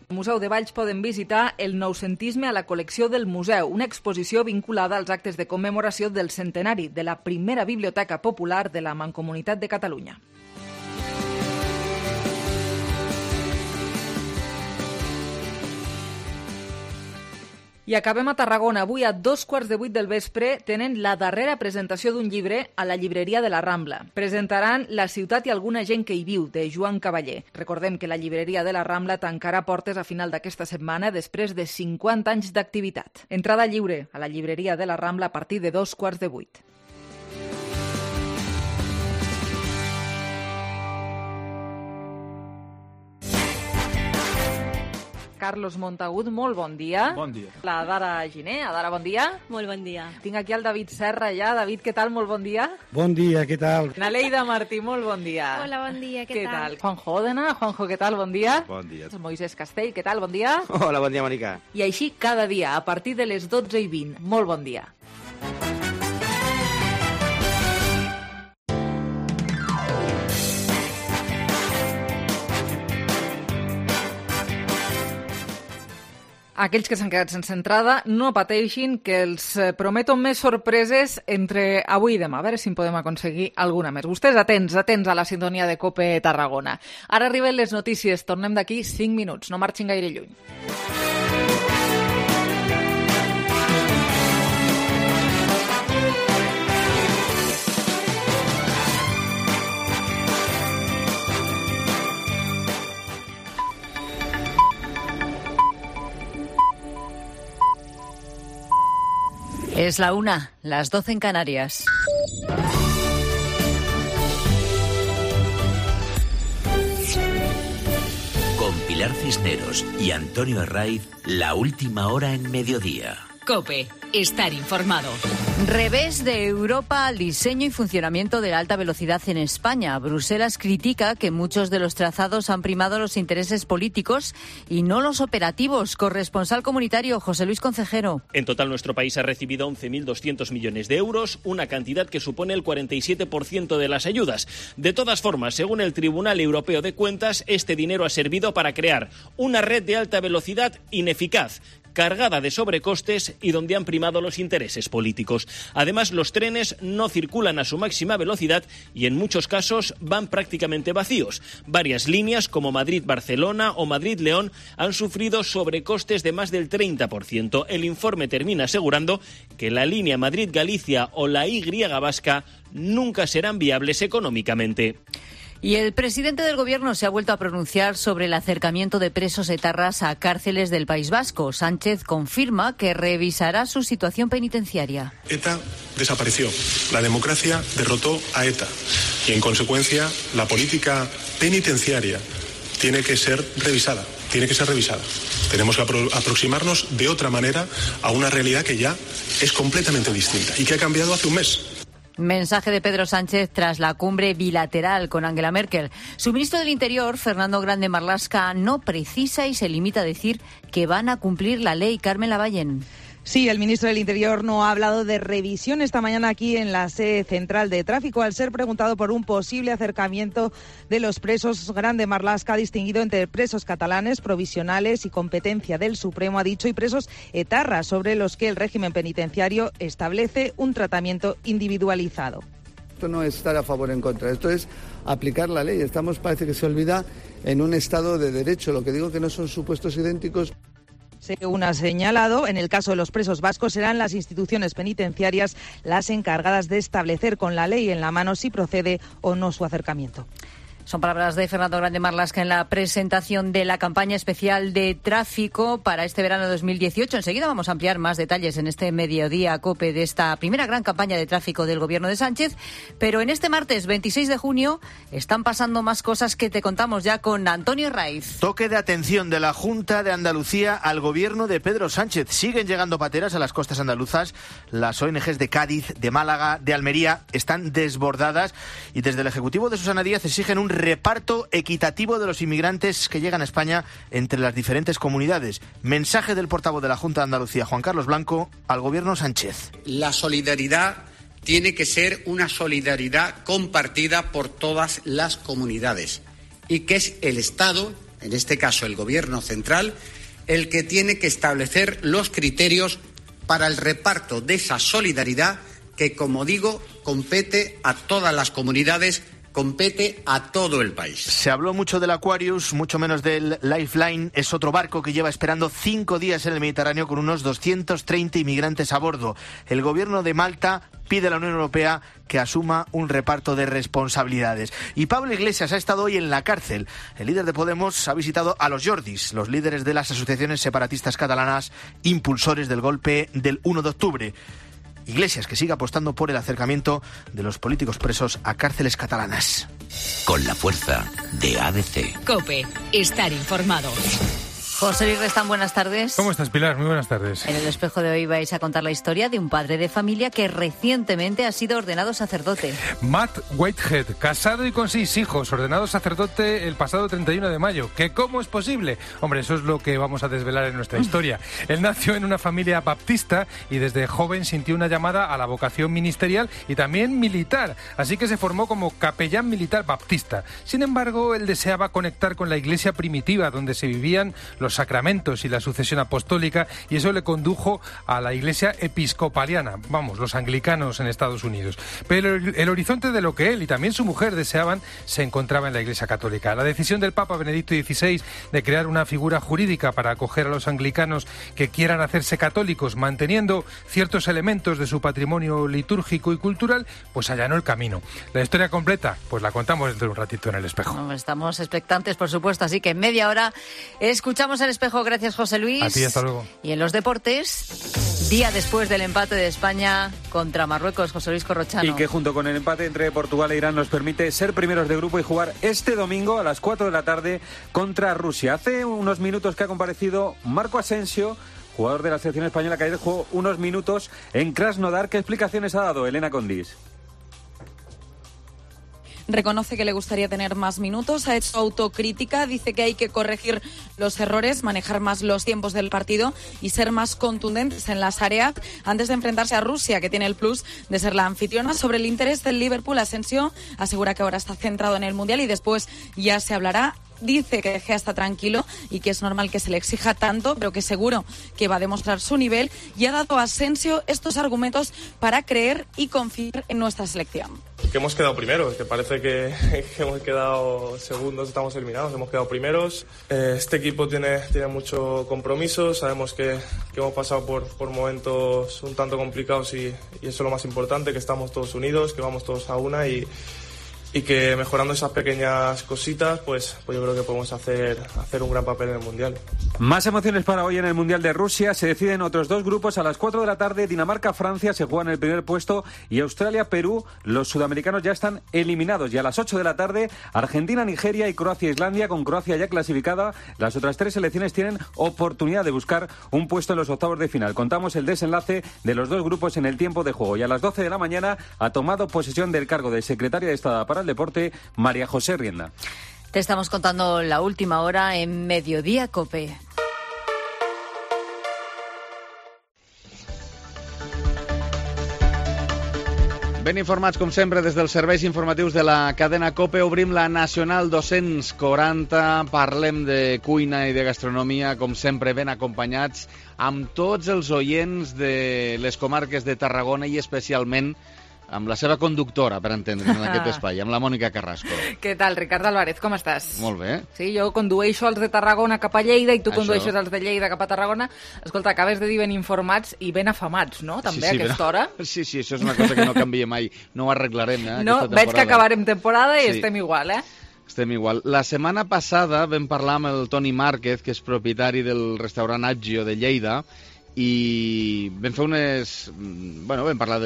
Speaker 3: Al Museu de Valls poden visitar el noucentisme a la col·lecció del museu, una exposició vinculada als actes de commemoració del centenari de la primera biblioteca popular de la Mancomunitat de Catalunya. I acabem a Tarragona. Avui a 2:15 del vespre tenen la darrera presentació d'un llibre a la llibreria de la Rambla. Presentaran La ciutat i alguna gent que hi viu, de Joan Cavaller. Recordem que la llibreria de la Rambla tancarà portes a final d'aquesta setmana després de 50 anys d'activitat. Entrada lliure a la llibreria de la Rambla a partir de 2:15. Carlos Montagut, molt bon dia.
Speaker 16: Bon dia.
Speaker 3: La Dara Giner. Adara, bon dia.
Speaker 12: Molt bon dia.
Speaker 3: Tinc aquí el David Serra ja. David, què tal? Molt bon dia.
Speaker 16: Bon dia, què tal?
Speaker 3: La Leida Martí, molt bon dia.
Speaker 17: Hola, bon dia, què tal?
Speaker 3: Juanjo Òdena. Juanjo, què tal? Bon dia.
Speaker 16: Bon dia.
Speaker 3: Moisés Castell, què tal? Bon dia.
Speaker 18: Hola, bon dia, Mònica.
Speaker 3: I així cada dia, a partir de les 12:20. Molt bon dia. Aquells que s'han quedat sense entrada, no pateixin, que els prometo més sorpreses entre avui i demà. A veure si en podem aconseguir alguna més. Vostès atents a la sintonia de COPE Tarragona. Ara arriben les notícies. Tornem d'aquí 5 minuts. No marxin gaire lluny.
Speaker 19: Es la 1, las 12 en Canarias.
Speaker 20: Con Pilar Cisneros y Antonio Herraiz, la última hora en mediodía.
Speaker 19: COPE,
Speaker 2: estar informado.
Speaker 19: Revés de Europa al diseño y funcionamiento de la alta velocidad en España. Bruselas critica que muchos de los trazados han primado los intereses políticos y no los operativos. Corresponsal comunitario José Luis Concejero.
Speaker 16: En total, nuestro país ha recibido 11.200 millones de euros, una cantidad que supone el 47% de las ayudas. De todas formas, según el Tribunal Europeo de Cuentas, este dinero ha servido para crear una red de alta velocidad ineficaz, cargada de sobrecostes y donde han primado los intereses políticos. Además, los trenes no circulan a su máxima velocidad y en muchos casos van prácticamente vacíos. Varias líneas como Madrid-Barcelona o Madrid-León han sufrido sobrecostes de más del 30%. El informe termina asegurando que la línea Madrid-Galicia o la Y vasca nunca serán viables económicamente.
Speaker 19: Y el presidente del Gobierno se ha vuelto a pronunciar sobre el acercamiento de presos etarras a cárceles del País Vasco. Sánchez confirma que revisará su situación penitenciaria.
Speaker 17: ETA desapareció, la democracia derrotó a ETA y, en consecuencia, la política penitenciaria tiene que ser revisada. Tenemos que aproximarnos de otra manera a una realidad que ya es completamente distinta y que ha cambiado hace un mes.
Speaker 19: Mensaje de Pedro Sánchez tras la cumbre bilateral con Angela Merkel. Su ministro del Interior, Fernando Grande Marlaska, no precisa y se limita a decir que van a cumplir la ley. Carmen Lavallén.
Speaker 18: Sí, el ministro del Interior no ha hablado de revisión esta mañana aquí en la sede central de tráfico al ser preguntado por un posible acercamiento de los presos. Grande Marlaska ha distinguido entre presos catalanes, provisionales y competencia del Supremo, ha dicho, y presos etarras, sobre los que el régimen penitenciario establece un tratamiento individualizado.
Speaker 20: Esto no es estar a favor o en contra, esto es aplicar la ley. Estamos, parece que se olvida, en un Estado de Derecho. Lo que digo que no son supuestos idénticos.
Speaker 18: Según ha señalado, en el caso de los presos vascos serán las instituciones penitenciarias las encargadas de establecer con la ley en la mano si procede o no su acercamiento.
Speaker 19: Son palabras de Fernando Grande Marlaska en la presentación de la campaña especial de tráfico para este verano 2018. Enseguida vamos a ampliar más detalles en este mediodía COPE de esta primera gran campaña de tráfico del Gobierno de Sánchez. Pero en este martes 26 de junio están pasando más cosas que te contamos ya con Antonio Raiz.
Speaker 21: Toque de atención de la Junta de Andalucía al Gobierno de Pedro Sánchez. Siguen llegando pateras a las costas andaluzas. Las ONGs de Cádiz, de Málaga, de Almería están desbordadas y desde el Ejecutivo de Susana Díaz exigen un reparto equitativo de los inmigrantes que llegan a España entre las diferentes comunidades. Mensaje del portavoz de la Junta de Andalucía, Juan Carlos Blanco, al Gobierno Sánchez.
Speaker 22: La solidaridad tiene que ser una solidaridad compartida por todas las comunidades y que es el Estado, en este caso el Gobierno central, el que tiene que establecer los criterios para el reparto de esa solidaridad que, como digo, compete a todas las comunidades, compete a todo el país.
Speaker 21: Se habló mucho del Aquarius, mucho menos del Lifeline. Es otro barco que lleva esperando 5 días en el Mediterráneo con unos 230 inmigrantes a bordo. El Gobierno de Malta pide a la Unión Europea que asuma un reparto de responsabilidades. Y Pablo Iglesias ha estado hoy en la cárcel. El líder de Podemos ha visitado a los Jordis, los líderes de las asociaciones separatistas catalanas, impulsores del golpe del 1 de octubre. Iglesias, que sigue apostando por el acercamiento de los políticos presos a cárceles catalanas.
Speaker 23: Con la fuerza de ADC.
Speaker 2: COPE, estar informado.
Speaker 19: José Luis Restán, buenas tardes.
Speaker 24: ¿Cómo estás, Pilar? Muy buenas tardes.
Speaker 19: En el espejo de hoy vais a contar la historia de un padre de familia que recientemente ha sido ordenado sacerdote.
Speaker 24: Matt Whitehead, casado y con 6 hijos, ordenado sacerdote el pasado 31 de mayo. ¿Que cómo es posible? Hombre, eso es lo que vamos a desvelar en nuestra historia. Él nació en una familia baptista y desde joven sintió una llamada a la vocación ministerial y también militar. Así que se formó como capellán militar baptista. Sin embargo, él deseaba conectar con la iglesia primitiva donde se vivían los sacramentos y la sucesión apostólica, y eso le condujo a la iglesia episcopaliana, vamos, los anglicanos en Estados Unidos. Pero el horizonte de lo que él y también su mujer deseaban se encontraba en la iglesia católica. La decisión del Papa Benedicto XVI de crear una figura jurídica para acoger a los anglicanos que quieran hacerse católicos, manteniendo ciertos elementos de su patrimonio litúrgico y cultural, pues allanó el camino. La historia completa, pues la contamos dentro de un ratito en El Espejo.
Speaker 19: Estamos expectantes, por supuesto, así que en media hora escuchamos El Espejo. Gracias, José Luis.
Speaker 24: A ti, hasta luego.
Speaker 19: Y en los deportes, día después del empate de España contra Marruecos, José Luis Corrochano.
Speaker 25: Y que junto con el empate entre Portugal e Irán nos permite ser primeros de grupo y jugar este domingo a las 4 de la tarde contra Rusia. Hace unos minutos que ha comparecido Marco Asensio, jugador de la selección española que ayer jugó unos minutos en Krasnodar. ¿Qué explicaciones ha dado Elena Condis?
Speaker 4: Reconoce que le gustaría tener más minutos, ha hecho autocrítica, dice que hay que corregir los errores, manejar más los tiempos del partido y ser más contundentes en las áreas antes de enfrentarse a Rusia, que tiene el plus de ser la anfitriona. Sobre el interés del Liverpool, Asensio asegura que ahora está centrado en el Mundial y después ya se hablará. Dice que De Gea está tranquilo y que es normal que se le exija tanto, pero que seguro que va a demostrar su nivel, y ha dado a Asensio estos argumentos para creer y confiar en nuestra selección.
Speaker 6: Que hemos quedado primeros, que parece que hemos quedado segundos, estamos eliminados, hemos quedado primeros. Este equipo tiene mucho compromiso, sabemos que hemos pasado por momentos un tanto complicados y eso es lo más importante, que estamos todos unidos, que vamos todos a una y que mejorando esas pequeñas cositas, pues yo creo que podemos hacer un gran papel en el Mundial.
Speaker 25: Más emociones para hoy en el Mundial de Rusia. Se deciden otros dos grupos. A las 4 de la tarde, Dinamarca-Francia se juegan el primer puesto y Australia-Perú, los sudamericanos ya están eliminados. Y a las 8 de la tarde, Argentina-Nigeria y Croacia-Islandia, con Croacia ya clasificada. Las otras tres selecciones tienen oportunidad de buscar un puesto en los octavos de final. Contamos el desenlace de los dos grupos en el tiempo de juego. Y a las 12 de la mañana ha tomado posesión del cargo de secretaria de Estado para el Deporte, María José Rienda.
Speaker 19: Te estamos contando la última hora en Mediodía COPE.
Speaker 13: Ben informats, com sempre, des dels serveis informatius de la cadena COPE. Obrim la Nacional 240. Parlem de cuina i de gastronomia, com sempre, ben acompanyats amb tots els oients de les comarques de Tarragona i especialment amb la seva conductora, per entendre, en aquest espai, amb la Mònica Carrasco.
Speaker 3: Què tal, Ricard Álvarez, com estàs?
Speaker 13: Molt bé.
Speaker 3: Sí, jo condueixo els de Tarragona cap a Lleida i tu condueixes els de Lleida cap a Tarragona. Escolta, acabes de dir ben informats i ben afamats, no?, també, a aquesta hora.
Speaker 13: Sí, això és una cosa que no canvia mai. No ho arreglarem,
Speaker 3: No, veig que acabarem temporada i estem igual,
Speaker 13: Estem igual. La setmana passada vam parlar amb el Toni Márquez, que és propietari del restaurant Aggio de Lleida, i vam fer vam parlar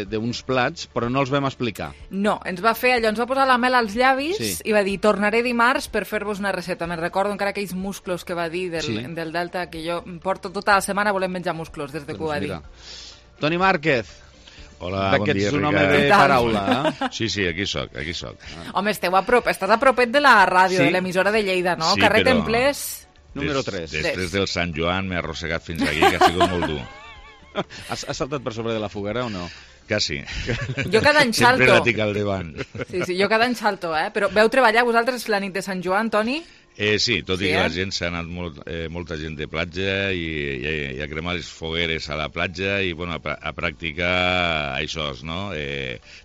Speaker 13: d'uns plats, però no els vam explicar.
Speaker 3: No, ens va posar la mel als llavis i va dir, tornaré dimarts per fer-vos una recepta. Me'n recordo encara aquells musclos que va dir del Delta, que jo porto tota la setmana volent menjar musclos des de que ho va dir.
Speaker 13: Toni Márquez.
Speaker 7: Hola, bon dia, Ricard.
Speaker 13: Ets un home de paraula,
Speaker 7: Sí, aquí soc.
Speaker 3: Home, estàs a propet de la ràdio, de l'emissora de Lleida, no?
Speaker 7: Sí,
Speaker 3: Carrer
Speaker 7: però...
Speaker 3: Templers...
Speaker 7: Número 3. Després del Sant Joan m'he arrossegat fins aquí, que ha sigut molt dur.
Speaker 13: Has saltat per sobre de la foguera o no?
Speaker 7: Quasi.
Speaker 3: Jo cada any salto.
Speaker 7: Sempre la tinc al davant.
Speaker 3: Sí, jo cada any salto, Però veu treballar vosaltres la nit de Sant Joan, Toni?
Speaker 7: Sí, tot i que la gent s'ha anat molta gent de platja i a cremar les fogueres a la platja i a practicar això, no?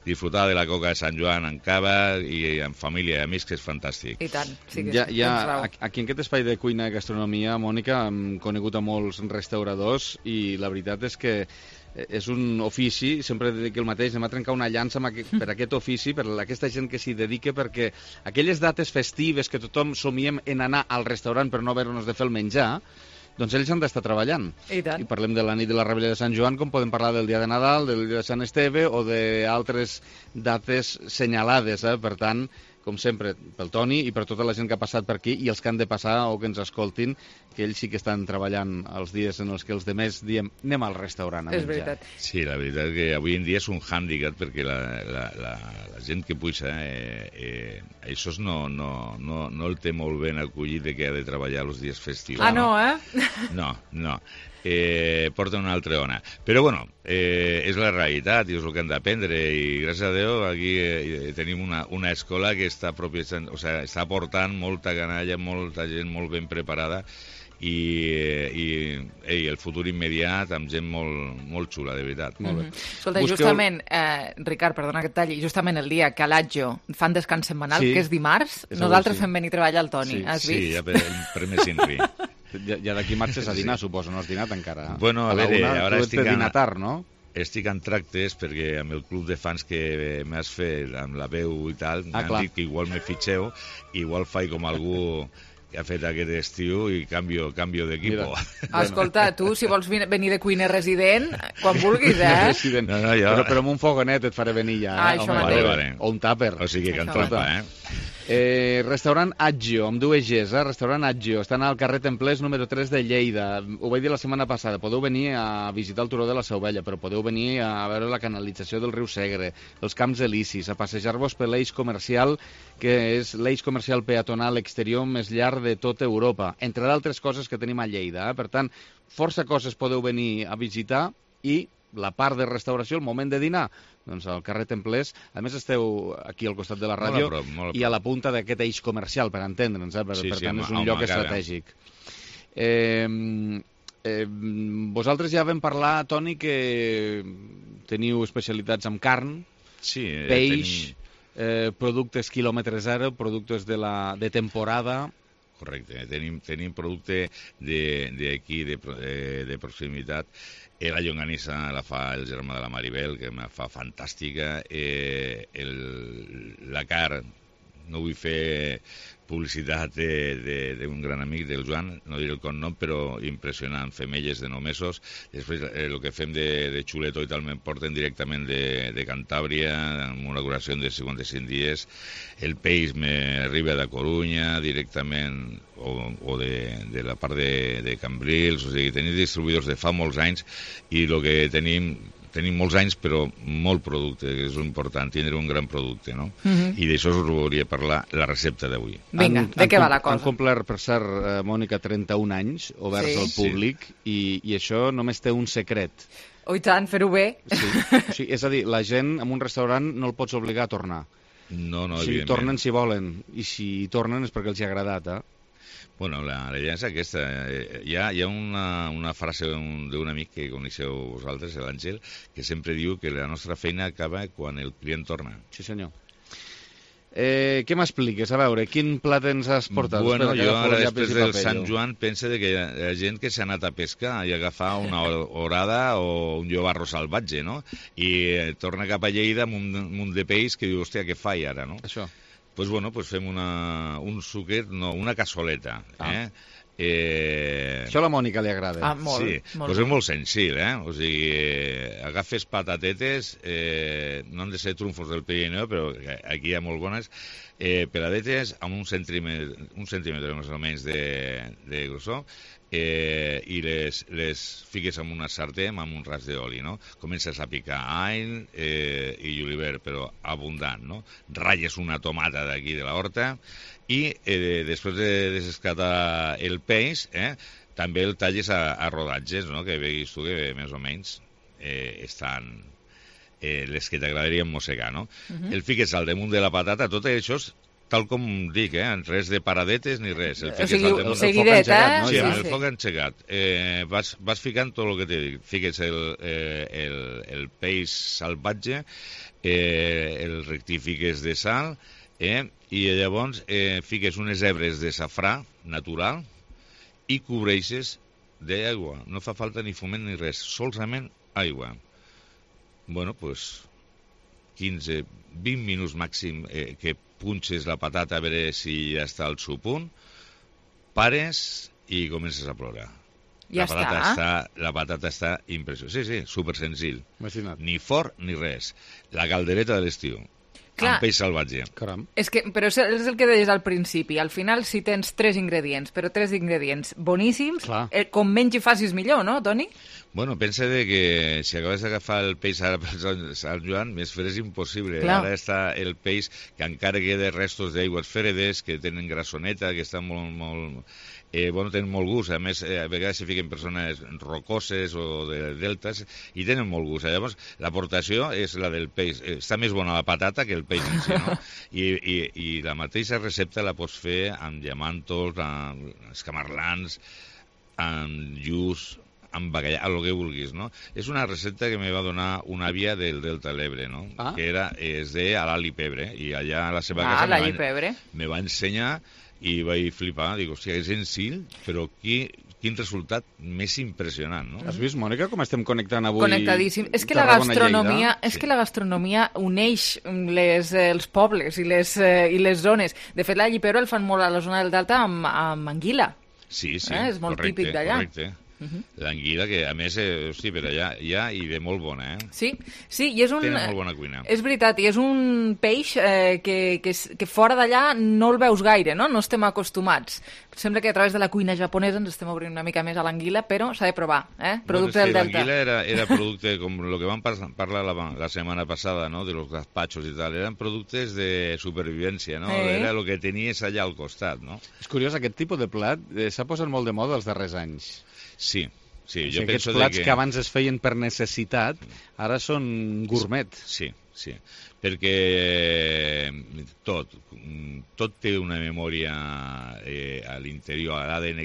Speaker 7: Disfrutar de la coca de Sant Joan en cava i en família i amics, que és fantàstic.
Speaker 3: I tant, sí que
Speaker 13: aquí en aquest espai de cuina i gastronomia, Mònica, hem conegut a molts restauradors i la veritat és que és un ofici, sempre dic el mateix, anem a trencar una llança per aquest ofici, per aquesta gent que s'hi dedica, perquè aquelles dates festives que tothom somiem en anar al restaurant per no haver-nos de fer el menjar, doncs ells han d'estar treballant.
Speaker 3: I
Speaker 13: parlem de la nit de la Rebella de Sant Joan, com podem parlar del dia de Nadal, del dia de Sant Esteve o d'altres dates senyalades. Per tant, com sempre, pel Toni i per tota la gent que ha passat per aquí i els que han de passar o que ens escoltin, que ells sí que estan treballant els dies en els que els demés diem anem al restaurant a menjar.
Speaker 3: És veritat.
Speaker 7: Sí, la veritat que avui en dia és un hàndicap perquè la gent que puja això no el té molt ben acollit de que ha de treballar els dies festius.
Speaker 3: No,
Speaker 7: No. Porta una altra ona. Però, és la realitat i és el que hem d'aprendre i, gràcies a Déu, aquí tenim una escola que està aportant molta canalla, molta gent molt ben preparada i el futur immediat amb gent molt xula, de veritat.
Speaker 3: Molt bé. Escolta, justament, Ricard, perdona que et talli, justament el dia que a l'Aggio fan descans setmanal, que és dimarts, nosaltres fem venir a treballar al Toni, has vist?
Speaker 7: Sí, ja per més inri.
Speaker 13: Ja d'aquí marxes a dinar, suposo, no has dinat encara?
Speaker 7: Bueno, a veure, ara estic
Speaker 13: de dinar tard, no?
Speaker 7: Estic en tractes perquè amb el club de fans que m'has fet, amb la veu i tal, m'han dit que igual me fitxeu, igual faig com algú que ha fet aquest estiu i canvio d'equipo.
Speaker 3: Escolta, tu, si vols venir de cuiner resident, quan vulguis,
Speaker 7: No, jo...
Speaker 13: Però amb un fogonet et faré venir ja.
Speaker 7: Vale.
Speaker 13: O un tàper.
Speaker 7: O sigui que en trampa,
Speaker 1: Restaurant Aggio, amb dues Gs, restaurant Aggio, estan al carrer Templers número 3 de Lleida. Ho vaig dir la setmana passada, podeu venir a visitar el Turó de la Seu Vella, però podeu venir a veure la canalització del riu Segre, els camps elisis, a passejar-vos per l'eix comercial, que és l'eix comercial peatonal exterior més llarg de tota Europa, entre d'altres coses que tenim a Lleida. Per tant, força coses podeu venir a visitar i la part de restauració, el moment de dinar, doncs al carrer Templers. A més, esteu aquí al costat de la ràdio
Speaker 7: molt a prop.
Speaker 1: I a la punta d'aquest eix comercial, per entendre'ns, per tant, és un lloc estratègic. Vosaltres ja vam parlar, Toni, que teniu especialitats amb carn, peix, productes quilòmetre zero, productes de temporada.
Speaker 7: Correcte, tenim producte d'aquí, de proximitat. La llonganissa la fa el germà de la Maribel, que me fa fantàstica. La carn, no vull fer publicitat d'un gran amic del Joan, no diré el cognom, però impressionant, femelles de 9 mesos. Després el que fem de xuleto i tal me'n porten directament de Cantàbria, amb una duració de 55 dies. El peix m'arriba de Corunya directament, o de la part de Cambrils. O sigui, tenim distribuïdors de fa molts anys i el que tenim molts anys, però molt producte, que és important, tindre un gran producte, no? I d'això us volia parlar, la recepta d'avui.
Speaker 3: Vinga, de què va la cosa?
Speaker 1: Han complert, per cert, Mònica, 31 anys oberts al públic, i això només té un secret.
Speaker 3: Oh, i tant, fer-ho bé.
Speaker 1: Sí, és a dir, la gent en un restaurant no el pots obligar a tornar.
Speaker 7: No,
Speaker 1: si tornen si volen, i si tornen és perquè els hi ha agradat,
Speaker 7: Bueno, la idea és aquesta. Hi ha una frase d'un amic que coneixeu vosaltres, l'Àngel, que sempre diu que la nostra feina acaba quan el client torna.
Speaker 1: Sí, senyor. Què m'expliques? A veure, quin plat ens has portat?
Speaker 7: Bueno, jo ara després del Sant Joan penso que hi ha gent que s'ha anat a pescar i agafar una orada o un llobarro salvatge, no? I torna cap a Lleida amb un munt de peix que diu, hòstia, què faig ara, no?
Speaker 1: Això.
Speaker 7: Pues bueno, pues fem un suquet, no, una cassoleta.
Speaker 1: Això a la Mònica li agrada.
Speaker 7: Molt. Sí, pues és molt senzill, O sigui, agafes patatetes, no han de ser trumfos del Pirineu, però aquí hi ha molt bones, peladetes amb un centímetre més o menys de grossor, i les fiques en una sartén amb un ras d'oli, no? Comences a picar all i julivert, però abundant, no? Ratlles una tomata d'aquí de la horta i després de desescatar el peix, també el talles a rodatges, no? Que veguis tu que més o menys estan les que t'agradarien mossegar, no? El fiques al damunt de la patata, tot això és tal com dic, res de paradetes ni res.
Speaker 3: O sigui, seguidet, no?
Speaker 7: Sí, el foc engegat. Vas ficant tot el que t'he dit. Fiques el peix salvatge, el rectifiques de sal, i llavors fiques unes hebres de safrà natural i cobreixes d'aigua. No fa falta ni foment ni res, solament aigua. Bueno, doncs 15-20 minuts màxim que punxes la patata a veure si ja està al seu punt, pares i comences a plorar.
Speaker 3: Ja
Speaker 7: La patata està impressionant. Sí, super senzill. Ni fort ni res. La caldereta de l'estiu. Amb peix salvatge.
Speaker 3: Però és el que deies al principi. Al final, si tens 3 ingredients, però 3 ingredients boníssims, com menys hi facis millor, no, Toni?
Speaker 7: Bueno, pensa que si acabes d'agafar el peix ara per Sant Joan, més fer és impossible. Ara està el peix que encara queda restos d'aigües fredes, que tenen grassoneta, que estan molt... tenen molt gust. A més, a vegades s'hi fiquen persones rocoses o de deltes i tenen molt gust. Llavors, l'aportació és la del peix. Està més bona la patata que el peix en si, no? I la mateixa recepta la pots fer amb diamantos, amb escamarlans, amb lluç, amb bacallà, el que vulguis, no? És una recepta que me va donar una àvia del Delta de l'Ebre, no? Que es deia l'all i pebre, i allà a la seva casa me va ensenyar i vaig flipar, dic, hòstia, és senzill, però quin resultat més impressionant, no?
Speaker 1: Has vist, Mònica, com estem connectant avui?
Speaker 3: Connectadíssim. És que la gastronomia uneix els pobles i les zones. De fet, l'all i pebre el fan molt a la zona del Delta amb anguila.
Speaker 7: Sí,
Speaker 3: és molt típic d'allà.
Speaker 7: Correcte. L'anguila, que a més, hosti, per allà hi ha i de molt bona,
Speaker 3: Sí, i és un...
Speaker 7: Tenen molt bona cuina.
Speaker 3: És veritat, i és un peix que fora d'allà no el veus gaire, no? No estem acostumats. Sembla que a través de la cuina japonesa ens estem obrint una mica més a l'anguila, però s'ha de provar, producte del Delta.
Speaker 7: L'anguila era producte, com el que vam parlar la setmana passada, no?, de los gazpachos i tal, eren productes de supervivència, no? Era el que tenies allà al costat, no?
Speaker 1: És curiós, aquest tipus de plat s'ha posat molt de moda els darrers anys.
Speaker 7: Sí, jo
Speaker 1: aquests
Speaker 7: penso
Speaker 1: plats que abans es feien per necessitat, ara són gourmet.
Speaker 7: Sí, perquè tot té una memòria a l'interior, a l'ADN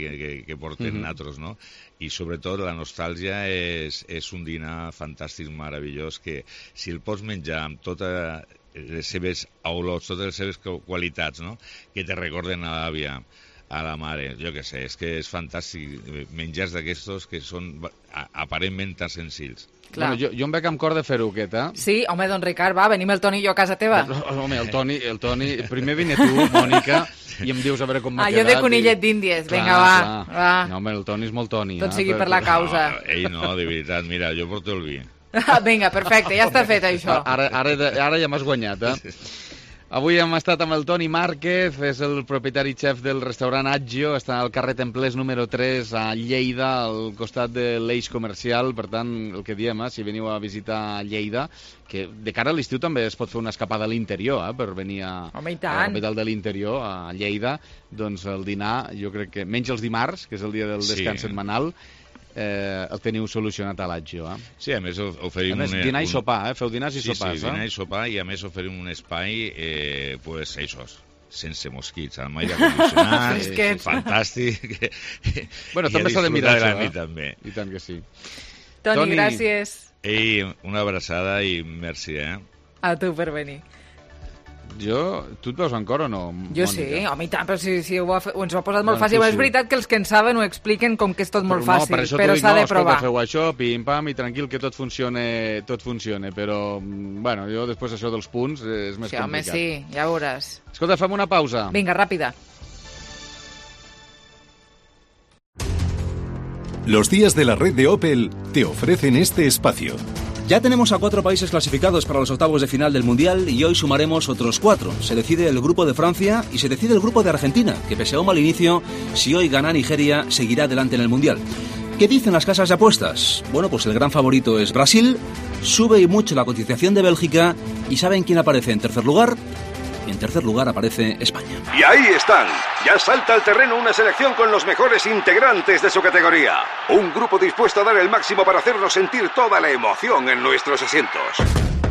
Speaker 7: que porten nosaltres, no? I sobretot la nostàlgia és un dinar fantàstic, meravellós, que si el pots menjar amb totes les seves olors, totes les seves qualitats, no?, que te recorden a l'àvia, a la mare, jo què sé, és que és fantàstic, menjars d'aquestos que són aparentment tan senzills.
Speaker 1: Bueno, jo em veig amb cor de fer-ho, aquest,
Speaker 3: Sí, home, don Ricard, va, venim el Toni i jo a casa teva.
Speaker 1: Home, el Toni, primer vine tu, Mònica, i em dius a veure com m'ha quedat.
Speaker 3: Jo de conillet d'Índies, vinga, va.
Speaker 1: No, home, el Toni és molt Toni.
Speaker 3: Tot sigui per la causa.
Speaker 7: No, de veritat, mira, jo porto el vi.
Speaker 3: Vinga, perfecte, ja està fet això.
Speaker 1: Ara ja m'has guanyat, Avui hem estat amb el Toni Márquez, és el propietari xef del restaurant Aggio, està al carrer Templers número 3 a Lleida, al costat de l'eix comercial. Per tant, el que diem, si veniu a visitar Lleida, que de cara a l'estiu també es pot fer una escapada a l'interior, per venir a la capital de l'interior, a Lleida, doncs el dinar, jo crec que menys els dimarts, que és el dia del descans setmanal, el teniu solucionat a l'Aggio.
Speaker 7: Sí, a més oferim...
Speaker 1: A més, dinar i sopar, feu dinars i sopars.
Speaker 7: Sí, dinar i sopar, i a més oferim un espai, pues, sense mosquits, amb aire condicionat, fantàstic.
Speaker 1: Bueno, també s'ha de mirar això,
Speaker 7: també.
Speaker 1: I tant que sí.
Speaker 3: Toni, gràcies.
Speaker 7: Ei, una abraçada i merci,
Speaker 3: A tu per venir.
Speaker 1: Tu et veus en cor o no,
Speaker 3: Jo
Speaker 1: Mònica?
Speaker 3: sí, home, i tant, però si ens ho ha posat molt fàcil. És veritat que els que en saben ho expliquen com que és tot molt fàcil, però s'ha de provar.
Speaker 1: Feu això, pim-pam, i tranquil, que tot funcione, però, bueno, jo després això dels punts és més complicat.
Speaker 3: Home, sí, ja veuràs.
Speaker 1: Escolta, fem una pausa.
Speaker 3: Vinga, ràpida.
Speaker 8: Los días de la red de Opel te ofrecen este espacio.
Speaker 9: Ya tenemos a 4 países clasificados para los octavos de final del Mundial y hoy sumaremos otros 4. Se decide el grupo de Francia y se decide el grupo de Argentina, que pese a un mal inicio, si hoy gana Nigeria, seguirá adelante en el Mundial. ¿Qué dicen las casas de apuestas? Bueno, pues el gran favorito es Brasil, sube y mucho la cotización de Bélgica y ¿saben quién aparece en tercer lugar? En tercer lugar aparece España.
Speaker 10: Y ahí están. Ya salta al terreno una selección con los mejores integrantes de su categoría. Un grupo dispuesto a dar el máximo para hacernos sentir toda la emoción en nuestros asientos.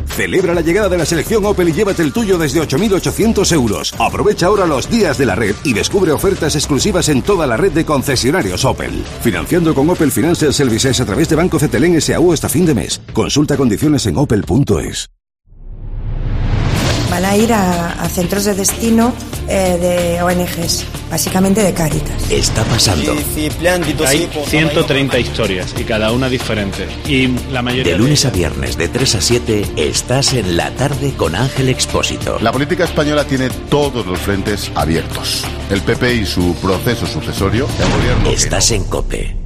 Speaker 11: Celebra la llegada de la selección Opel y llévate el tuyo desde 8.800 euros. Aprovecha ahora los días de la red y descubre ofertas exclusivas en toda la red de concesionarios Opel. Financiando con Opel Financial Services a través de Banco Cetelem S.A.U. hasta fin de mes. Consulta condiciones en opel.es.
Speaker 15: Van a ir a centros de destino de ONGs, básicamente de Cáritas.
Speaker 23: Está pasando.
Speaker 26: Hay 130 historias y cada una diferente. Y la mayoría
Speaker 23: de lunes a viernes de 3 a 7 estás en La Tarde con Ángel Expósito.
Speaker 27: La política española tiene todos los frentes abiertos. El PP y su proceso sucesorio. El gobierno
Speaker 23: estás en COPE.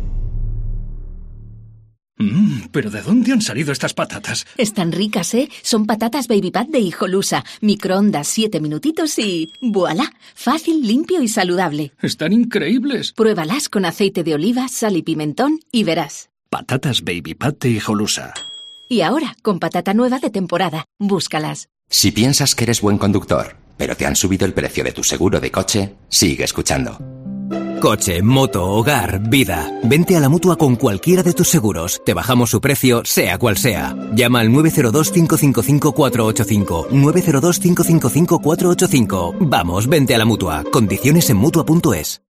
Speaker 28: ¿Pero de dónde han salido estas patatas?
Speaker 29: Están ricas, ¿eh? Son patatas Baby Pat de Hijolusa. Microondas 7 minutitos y... ¡voilá! Fácil, limpio y saludable.
Speaker 28: Están increíbles.
Speaker 29: Pruébalas con aceite de oliva, sal y pimentón y verás.
Speaker 28: Patatas Baby Pat de Hijolusa.
Speaker 29: Y ahora, con patata nueva de temporada. Búscalas.
Speaker 23: Si piensas que eres buen conductor, pero te han subido el precio de tu seguro de coche, sigue escuchando. Coche, moto, hogar, vida. Vente a la Mutua con cualquiera de tus seguros. Te bajamos su precio, sea cual sea. Llama al 902-555-485. 902-555-485. Vamos, vente a la Mutua. Condiciones en Mutua.es.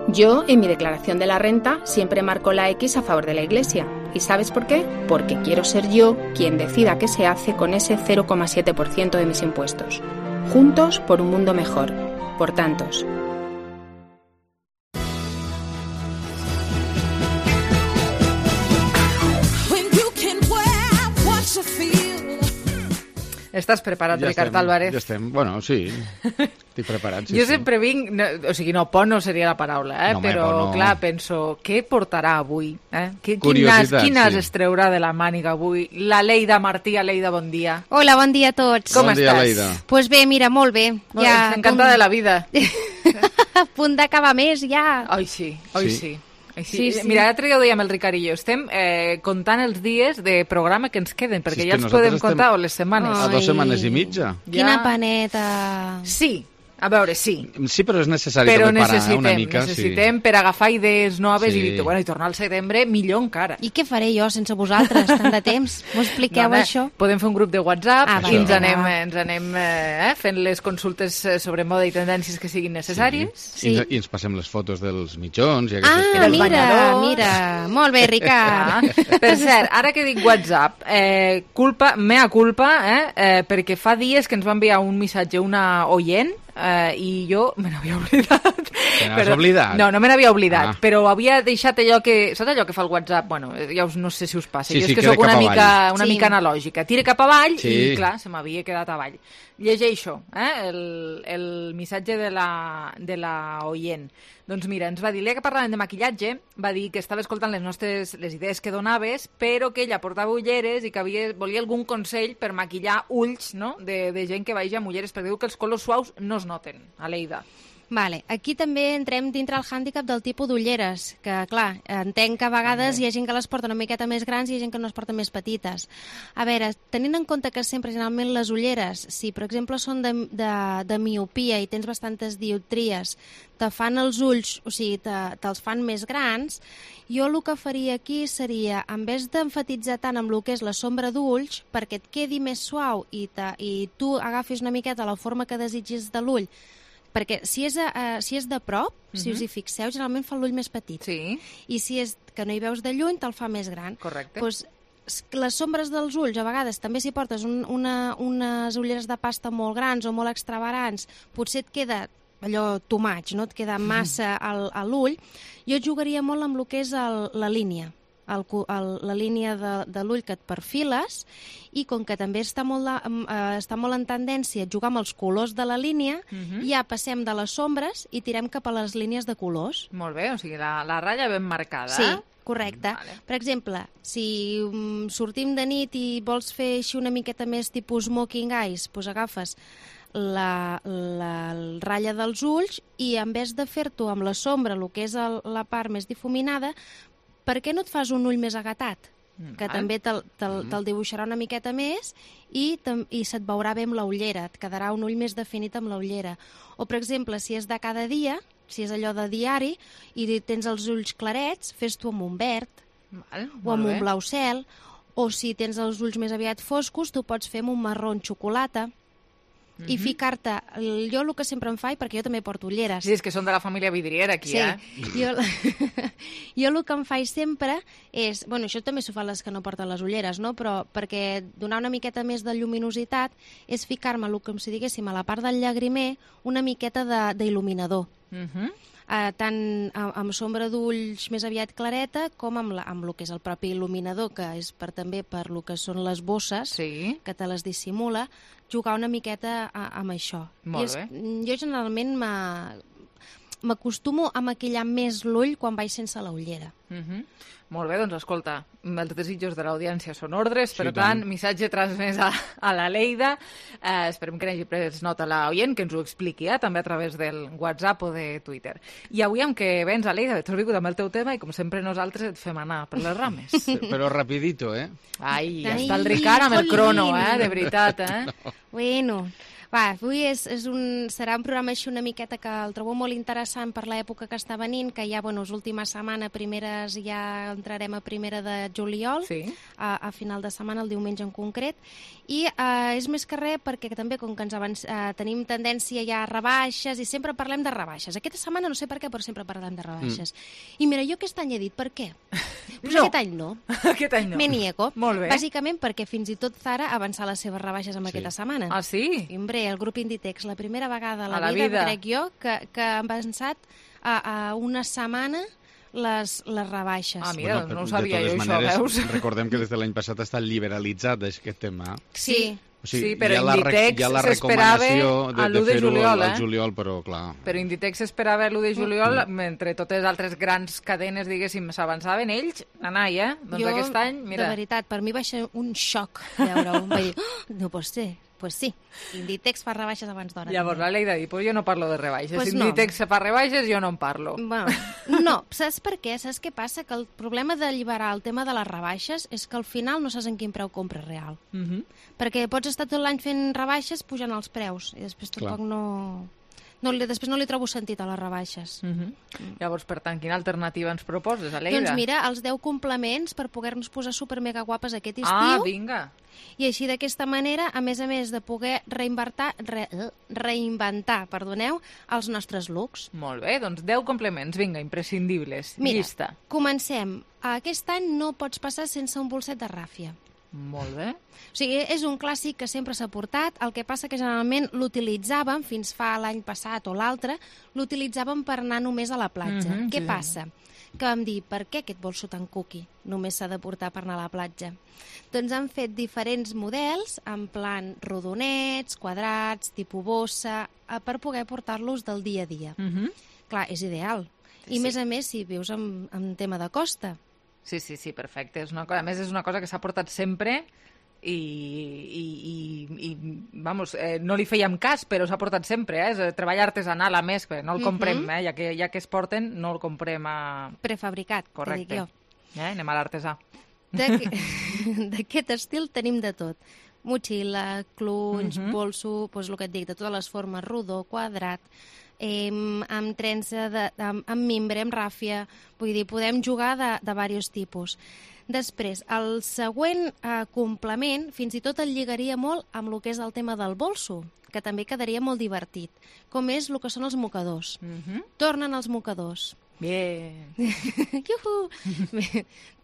Speaker 30: Yo, en mi declaración de la renta, siempre marco la X a favor de la Iglesia. ¿Y sabes por qué? Porque quiero ser yo quien decida qué se hace con ese 0,7% de mis impuestos. Juntos por un mundo mejor. Por tantos.
Speaker 3: Estàs preparat,
Speaker 1: Ja
Speaker 3: Ricard
Speaker 1: estem,
Speaker 3: Álvarez?
Speaker 1: Ja estem, bueno, sí. Estic preparat, sí.
Speaker 3: Jo sempre vinc... por no seria la paraula,
Speaker 1: No, home,
Speaker 3: però,
Speaker 1: por no.
Speaker 3: clar, penso, què portarà avui?
Speaker 1: Curiositat,
Speaker 3: Quin nas
Speaker 1: sí.
Speaker 3: es treurà de la màniga avui? La Leida Martí. Leida, bon dia.
Speaker 2: Hola, bon dia a tots.
Speaker 3: Com
Speaker 1: Bon dia,
Speaker 3: estàs?
Speaker 1: Leida.
Speaker 2: Pues bé, mira, molt bé.
Speaker 3: Encantada de la vida.
Speaker 2: A punt d'acabar més, ja.
Speaker 3: Oi, sí.
Speaker 2: Sí, sí.
Speaker 3: Mira, l'altre dia ho dèiem el Ricard i jo, estem comptant els dies de programa que ens queden, perquè
Speaker 1: Si és
Speaker 3: ja
Speaker 1: que
Speaker 3: els podem
Speaker 1: nosaltres
Speaker 3: comptar, o les setmanes.
Speaker 1: A 2 setmanes i mitja.
Speaker 2: Quina paneta.
Speaker 3: Sí, a veure, sí.
Speaker 1: Sí, però és necessari
Speaker 3: Però
Speaker 1: també parar una
Speaker 3: necessitem,
Speaker 1: mica.
Speaker 3: necessitem per agafar idees noves
Speaker 1: Sí.
Speaker 3: i tornar al setembre millor encara.
Speaker 2: I què faré jo sense vosaltres, tant de temps? M'ho expliqueu,
Speaker 3: Dona,
Speaker 2: això?
Speaker 3: Podem fer un grup de WhatsApp
Speaker 2: Ah,
Speaker 3: i ens
Speaker 2: vale.
Speaker 3: anem fent les consultes sobre moda i tendències que siguin necessàries.
Speaker 2: Sí.
Speaker 1: I ens passem les fotos dels mitjons i
Speaker 2: Ah,
Speaker 1: aquestes
Speaker 3: Del
Speaker 2: mira,
Speaker 3: banyador.
Speaker 2: mira. Molt bé, Ricard.
Speaker 3: Per cert, ara que dic WhatsApp, mea culpa, perquè fa dies que ens va enviar un missatge una oient i jo me n'havia oblidat.
Speaker 1: Te n'has oblidat?
Speaker 3: No, no me n'havia oblidat,
Speaker 1: Ah.
Speaker 3: però havia deixat allò que... Saps allò que fa el WhatsApp? Bueno, no sé si us passa.
Speaker 1: Sí,
Speaker 3: jo
Speaker 1: sí,
Speaker 3: és que
Speaker 1: queda
Speaker 3: sóc una
Speaker 1: cap
Speaker 3: mica,
Speaker 1: avall.
Speaker 3: mica analògica. Tira cap avall
Speaker 1: Sí.
Speaker 3: i, clar, se m'havia quedat avall. Llegeixo el missatge de la oient. Doncs mira, ens va dir, que parlàvem de maquillatge, va dir que estava escoltant les idees que donaves, però que ella portava ulleres i que volia algun consell per maquillar ulls, no?, de gent que vagi amb ulleres, perquè diu que els colors suaus no es noten, a Leida.
Speaker 2: Vale, aquí també entrem dintre el hàndicap del tipus d'ulleres, que clar, entenc que a vegades hi ha gent que les porta una miqueta més grans i hi ha gent que no les porta més petites. A veure, tenint en compte que sempre generalment les ulleres, si per exemple són de miopia i tens bastantes dioptries, te fan els ulls, o sigui, te'ls fan més grans, jo el que faria aquí seria, en vez d'emfatitzar tant amb el que és la sombra d'ulls, perquè et quedi més suau i tu agafis una miqueta la forma que desitgis de l'ull, perquè si és de prop, si us hi fixeu, generalment fa l'ull més petit.
Speaker 3: Sí.
Speaker 2: I si és que no hi veus de lluny, te'l fa més gran.
Speaker 3: Correcte.
Speaker 2: Pues, les sombres dels ulls, a vegades, també si portes unes ulleres de pasta molt grans o molt extravagants, potser et queda allò too much, no? Et queda massa a l'ull. Jo jugaria molt amb el que és la línia. La línia de l'ull que et perfiles, i com que també està molt en tendència jugar amb els colors de la línia, ja passem de les sombres i tirem cap a les línies de colors.
Speaker 3: Molt bé, o sigui, la ratlla ben marcada.
Speaker 2: Sí, correcte. Vale. Per exemple, si sortim de nit i vols fer així una miqueta més tipus smoking eyes, doncs agafes la ratlla dels ulls i en vez de fer-t'ho amb la sombra, el que és la part més difuminada, per què no et fas un ull més agatat? Que també te'l dibuixarà una miqueta més i se't veurà bé amb la ullera, et quedarà un ull més definit amb la ullera. O, per exemple, si és de cada dia, si és allò de diari i tens els ulls clarets, fes-t'ho amb un verd o amb un blau cel, o si tens els ulls més aviat foscos, tu pots fer amb un marró xocolata. I ficar-te, jo el que sempre em faig, perquè jo també porto ulleres.
Speaker 3: Sí, és que són de la família vidriera aquí,
Speaker 2: Jo el que em faig sempre és, bueno, això també s'ho fan les que no porten les ulleres, no? Però perquè donar una miqueta més de lluminositat és ficar-me, com si diguéssim, a la part del llagrimer, una miqueta d'il·luminador. Tant amb sombra d'ulls més aviat clareta com amb el que és el propi il·luminador, que és també per el que són les bosses, que te les dissimula, jugar una miqueta amb això.
Speaker 3: Molt bé.
Speaker 2: Jo generalment m'acostumo a maquillar més l'ull quan vaig sense la ullera.
Speaker 3: Molt bé, doncs escolta, els desitjos de l'audiència són ordres, per tant, missatge transmès a la Leida. Esperem que n'hagi pres nota l'oient, que ens ho expliqui, també a través del WhatsApp o de Twitter. I avui, amb què vens, Leida, t'has vingut amb el teu tema i, com sempre, nosaltres et fem anar per les rames.
Speaker 1: Però rapidito,
Speaker 3: Ai, està el Ricard amb el crono, de veritat,
Speaker 2: Bueno, avui serà un programa així una miqueta que el trobo molt interessant per l'època que està venint, que ja, és última setmana, ja entrarem a primera de juliol, a final de setmana, el diumenge en concret, i és més que res perquè també, com que tenim tendència ja a rebaixes, i sempre parlem de rebaixes. Aquesta setmana no sé per què, però sempre parlem de rebaixes. I mira, jo aquest any he dit, per què? Pues aquest any no.
Speaker 3: Aquest any no.
Speaker 2: Me niego.
Speaker 3: Molt bé.
Speaker 2: Bàsicament perquè fins i tot Zara ha avançat les seves rebaixes en aquesta setmana.
Speaker 3: Ah, sí?
Speaker 2: I, hombre, el grup Inditex, la primera vegada a la vida, crec jo, que han avançat a una setmana les rebaixes.
Speaker 3: Ah, mira, no ho sabia jo, això, veus?
Speaker 1: Recordem que des de l'any passat està liberalitzat aquest tema.
Speaker 2: Sí.
Speaker 3: Sí, però Inditex s'esperava a l'1 de juliol.
Speaker 1: Al juliol, però clar.
Speaker 3: Però Inditex s'esperava a l'1 de juliol, mentre totes les altres grans cadenes, diguéssim, s'avançaven, ells anai, Doncs aquest any, mira...
Speaker 2: De veritat, per mi va ser un xoc veure-ho. Va dir, no pot ser. Pues sí, Inditex fa rebaixes abans d'hora.
Speaker 3: Llavors la Leida diu, pues jo no parlo de rebaixes.
Speaker 2: Pues
Speaker 3: si Inditex fa rebaixes, jo no en parlo.
Speaker 2: Bueno, no, saps per què? Saps què passa? Que el problema d'alliberar el tema de les rebaixes és que al final no saps en quin preu compres real. Perquè pots estar tot l'any fent rebaixes pujant els preus i després tampoc després no li trobo sentit a les rebaixes.
Speaker 3: Llavors, per tant, quina alternativa ens proposes, Aleida?
Speaker 2: Doncs mira, els 10 complements per poder-nos posar super mega guapes aquest estiu.
Speaker 3: Ah, vinga!
Speaker 2: I així d'aquesta manera, a més de poder reinventar els nostres looks.
Speaker 3: Molt bé, doncs 10 complements, vinga, imprescindibles.
Speaker 2: Mira,
Speaker 3: llista.
Speaker 2: Comencem. Aquest any no pots passar sense un bolset de ràfia.
Speaker 3: Molt bé.
Speaker 2: O sigui, és un clàssic que sempre s'ha portat, el que passa que generalment l'utilitzàvem, fins fa l'any passat o l'altre, l'utilitzàvem per anar només a la platja. Què passa? Que vam dir, per què aquest bolso tan cookie només s'ha de portar per anar a la platja? Doncs han fet diferents models, en plan rodonets, quadrats, tipus bossa, per poder portar-los del dia a dia. Clar, és ideal. I a més, si vius en tema de costa.
Speaker 3: Sí, perfecte. A més, és una cosa que s'ha portat sempre i vamos, no li fèiem cas, però s'ha portat sempre, és treball artesanal, a més, no el comprem, ja que es porten, no el comprem a...
Speaker 2: Prefabricat,
Speaker 3: correcte.
Speaker 2: te dic jo.
Speaker 3: Anem a l'artesà.
Speaker 2: D'aquest estil tenim de tot. Motxilla, clunys, bolso, doncs el que et dic, de totes les formes, rodó, quadrat, amb trença, amb mimbre, amb ràfia, vull dir, podem jugar de diversos tipus. Després, el següent complement, fins i tot el lligaria molt amb el que és el tema del bolso, que també quedaria molt divertit, com és el que són els mocadors. Tornen els mocadors.
Speaker 3: Bien.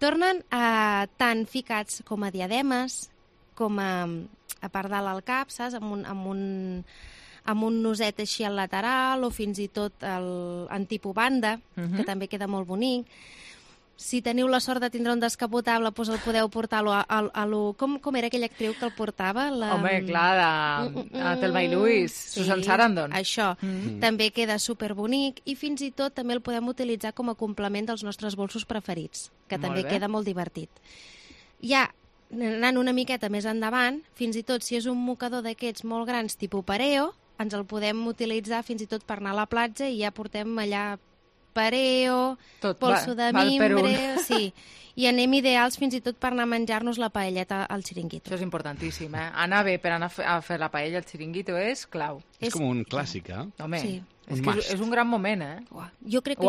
Speaker 2: Tornen tant ficats com a diademes, com a part dalt al cap, saps? Amb un noset així al lateral, o fins i tot en tipus banda, que també queda molt bonic. Si teniu la sort de tindre un descapotable, doncs el podeu portar com era aquella actriu que el portava?
Speaker 3: Home, clar, de Thelma i Louise, Susan Sarandon.
Speaker 2: Això, també queda superbonic, i fins i tot també el podem utilitzar com a complement dels nostres bolsos preferits, que també queda molt divertit. Ja, anant una miqueta més endavant, fins i tot si és un mocador d'aquests molt grans, tipus pareo, ens el podem utilitzar fins i tot per anar a la platja i ja portem allà pareo, polso de mimbre, sí. I anem ideals fins i tot per anar a menjar-nos la paelleta al xiringuito.
Speaker 3: Això és importantíssim, Anar bé per anar a fer la paella al xiringuito és clau.
Speaker 1: És com un clàssic,
Speaker 3: Home, és que és un gran moment,
Speaker 2: Jo crec que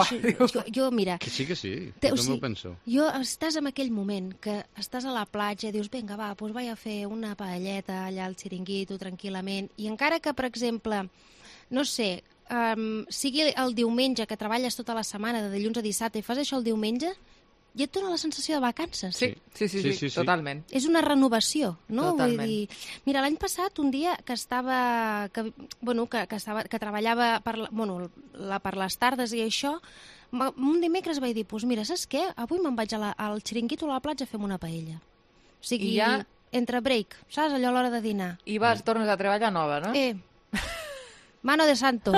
Speaker 2: jo, mira...
Speaker 1: Que sí, jo també ho penso.
Speaker 2: Estàs en aquell moment que estàs a la platja i dius, vinga, va, doncs vaig a fer una paelleta allà al xiringuito tranquil·lament, i encara que, per exemple, no sé, sigui el diumenge, que treballes tota la setmana, de dilluns a dissabte, i fas això el diumenge, ja et dona la sensació de vacances.
Speaker 3: Sí, totalment. És
Speaker 2: una renovació, no?
Speaker 3: Totalment.
Speaker 2: Vull dir, mira, l'any passat, un dia que treballava per les tardes i això, un dimecres vaig dir, doncs mira, saps què? Avui me'n vaig al xiringuito a la platja a fer una paella. O sigui, entre break, saps? Allò a l'hora de dinar.
Speaker 3: I tornes a treballar nova, no?
Speaker 2: Mano de santo.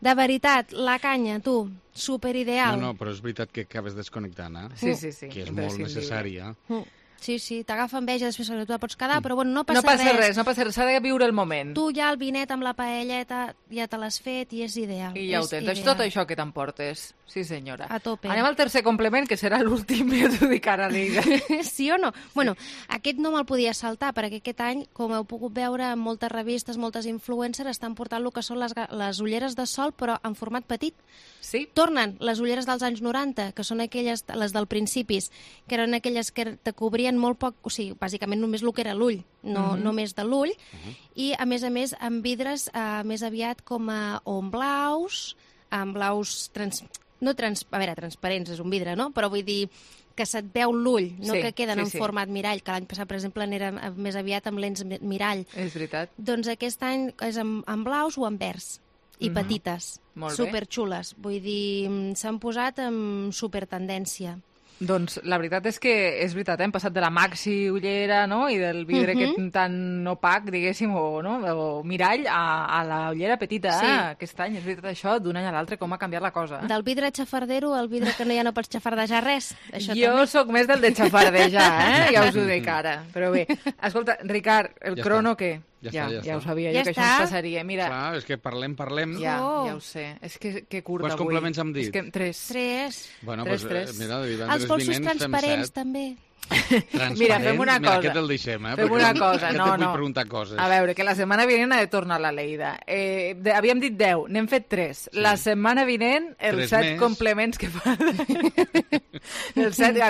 Speaker 2: De veritat, la canya, tu, superideal.
Speaker 1: No, però és veritat que acabes desconnectant,
Speaker 3: Sí.
Speaker 1: Que és molt necessària.
Speaker 2: Sí, t'agafa enveja, després tu la pots quedar, però bueno, no
Speaker 3: passa res. No passa res, s'ha de viure el moment.
Speaker 2: Tu ja el vinet amb la paelleta ja te l'has fet i és ideal.
Speaker 3: I ja ho tens, és tot això que t'emportes. Sí, senyora.
Speaker 2: A tope.
Speaker 3: Anem al tercer complement, que serà l'últim, ja t'ho dic ara, Leida.
Speaker 2: Sí o no? Bueno, aquest no me'l podia saltar, perquè aquest any, com heu pogut veure, en moltes revistes, moltes influencers estan portant el que són les ulleres de sol, però en format petit.
Speaker 3: Sí.
Speaker 2: Tornen les ulleres dels anys 90, que són aquelles, les del principis, que eren aquelles que te cobrien molt poc, o sigui, bàsicament només el que era l'ull, no més de l'ull, i a més amb vidres més aviat com amb blaus transparents, és un vidre, no? Però vull dir que se't veu l'ull, no que queden en format mirall, que l'any passat, per exemple, n'era més aviat amb lents mirall.
Speaker 3: És veritat.
Speaker 2: Doncs aquest any és amb blaus o amb verds. I petites, superxules. Vull dir, s'han posat amb supertendència.
Speaker 3: Doncs la veritat és que és veritat, hem passat de la maxi ullera, no?, i del vidre tan opac, diguéssim, o mirall, a la ullera petita, aquest any. És veritat això, d'un any a l'altre, com ha canviat la cosa.
Speaker 2: Del vidre xafardero al vidre que ja no pots xafardejar res.
Speaker 3: Jo sóc més del de xafardejar, ja us ho dic ara. Però bé, escolta, Ricard, el crono què? Ja ho sabia jo, que això ens passaria. Mira,
Speaker 1: clar, és que parlem.
Speaker 3: Ja ho sé. És que curt
Speaker 1: avui. Quants complements hem dit?
Speaker 2: 3.
Speaker 1: Bueno, doncs mira,
Speaker 2: els polsos transparents, també.
Speaker 3: Mira, fem una cosa.
Speaker 1: Mira, aquest el deixem,
Speaker 3: Fem una cosa.
Speaker 1: No. Vull preguntar coses.
Speaker 3: A veure, que la setmana vinent ha de tornar la Leida. Havíem dit 10, n'hem fet 3. La setmana vinent, els 7 complements que fa...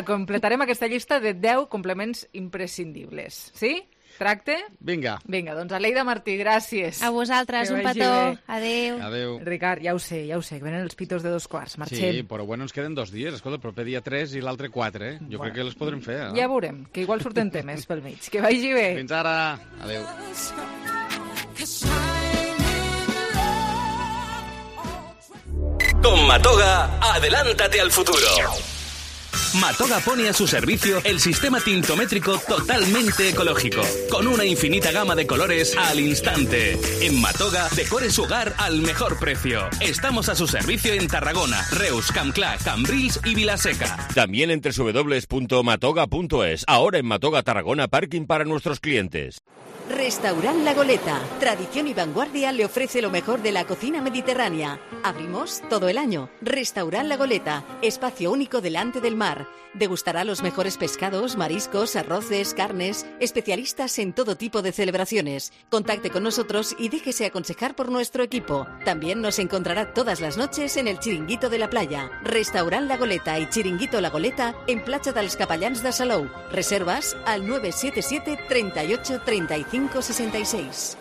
Speaker 3: Completarem aquesta llista de 10 complements imprescindibles. Sí? Tracte?
Speaker 1: Vinga,
Speaker 3: doncs Aleida Martí, gràcies.
Speaker 2: A vosaltres, un petó. Adéu.
Speaker 3: Ricard, ja ho sé, que venen els pitos de 2:15. Marxem.
Speaker 1: Sí, però bueno, ens queden 2 dies. Escolta, el proper dia 3 i l'altre 4, eh? Jo crec que les podrem fer,
Speaker 3: Ja veurem, que igual surten temes pel mig. Que vagi bé.
Speaker 1: Fins ara. Adéu.
Speaker 23: Con Matoga, adelántate al futuro. Matoga pone a su servicio el sistema tintométrico totalmente ecológico, con una infinita gama de colores al instante. En Matoga, decore su hogar al mejor precio. Estamos a su servicio en Tarragona, Reus, Campclà, Cambrils y Vilaseca.
Speaker 5: También en www.matoga.es. Ahora en Matoga Tarragona, parking para nuestros clientes.
Speaker 12: Restaurant La Goleta, tradición y vanguardia, le ofrece lo mejor de la cocina mediterránea. Abrimos todo el año. Restaurant La Goleta, espacio único delante del mar. Degustará los mejores pescados, mariscos, arroces, carnes, especialistas en todo tipo de celebraciones. Contacte con nosotros y déjese aconsejar por nuestro equipo. También nos encontrará todas las noches en el Chiringuito de la Playa. Restaurant La Goleta y Chiringuito La Goleta en Platja dels Capellans de Salou. Reservas al 977 38 35 66.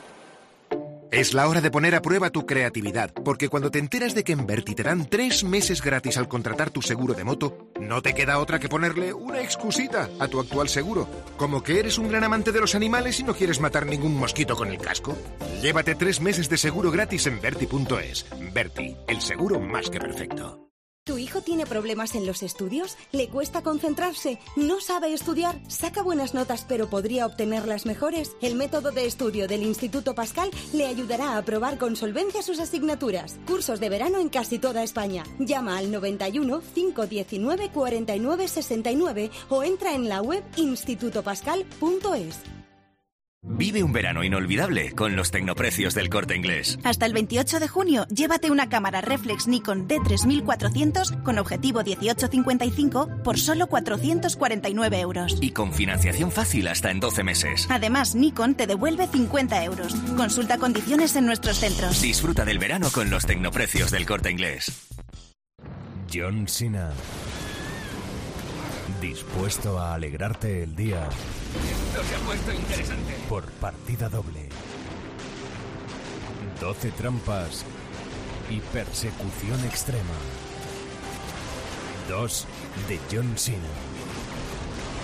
Speaker 14: Es la hora de poner a prueba tu creatividad, porque cuando te enteras de que en Berti te dan 3 meses gratis al contratar tu seguro de moto, no te queda otra que ponerle una excusita a tu actual seguro. Como que eres un gran amante de los animales y no quieres matar ningún mosquito con el casco. Llévate 3 meses de seguro gratis en Berti.es. Berti, el seguro más que perfecto.
Speaker 16: ¿Tu hijo tiene problemas en los estudios? ¿Le cuesta concentrarse? ¿No sabe estudiar? ¿Saca buenas notas pero podría obtenerlas mejores? El método de estudio del Instituto Pascal le ayudará a aprobar con solvencia sus asignaturas. Cursos de verano en casi toda España. Llama al 91 519 49 69 o entra en la web institutopascal.es.
Speaker 23: Vive un verano inolvidable con los tecnoprecios del Corte Inglés.
Speaker 17: Hasta el 28 de junio, llévate una cámara reflex Nikon D3400 con objetivo 18-55 por solo 449 euros.
Speaker 23: Y con financiación fácil hasta en 12 meses.
Speaker 17: Además, Nikon te devuelve 50 euros. Consulta condiciones en nuestros centros.
Speaker 23: Disfruta del verano con los tecnoprecios del Corte Inglés.
Speaker 18: John Cena. Dispuesto a alegrarte el día.
Speaker 23: Esto se ha puesto interesante.
Speaker 18: Por partida doble. 12 trampas y persecución extrema. 2 de John Cena.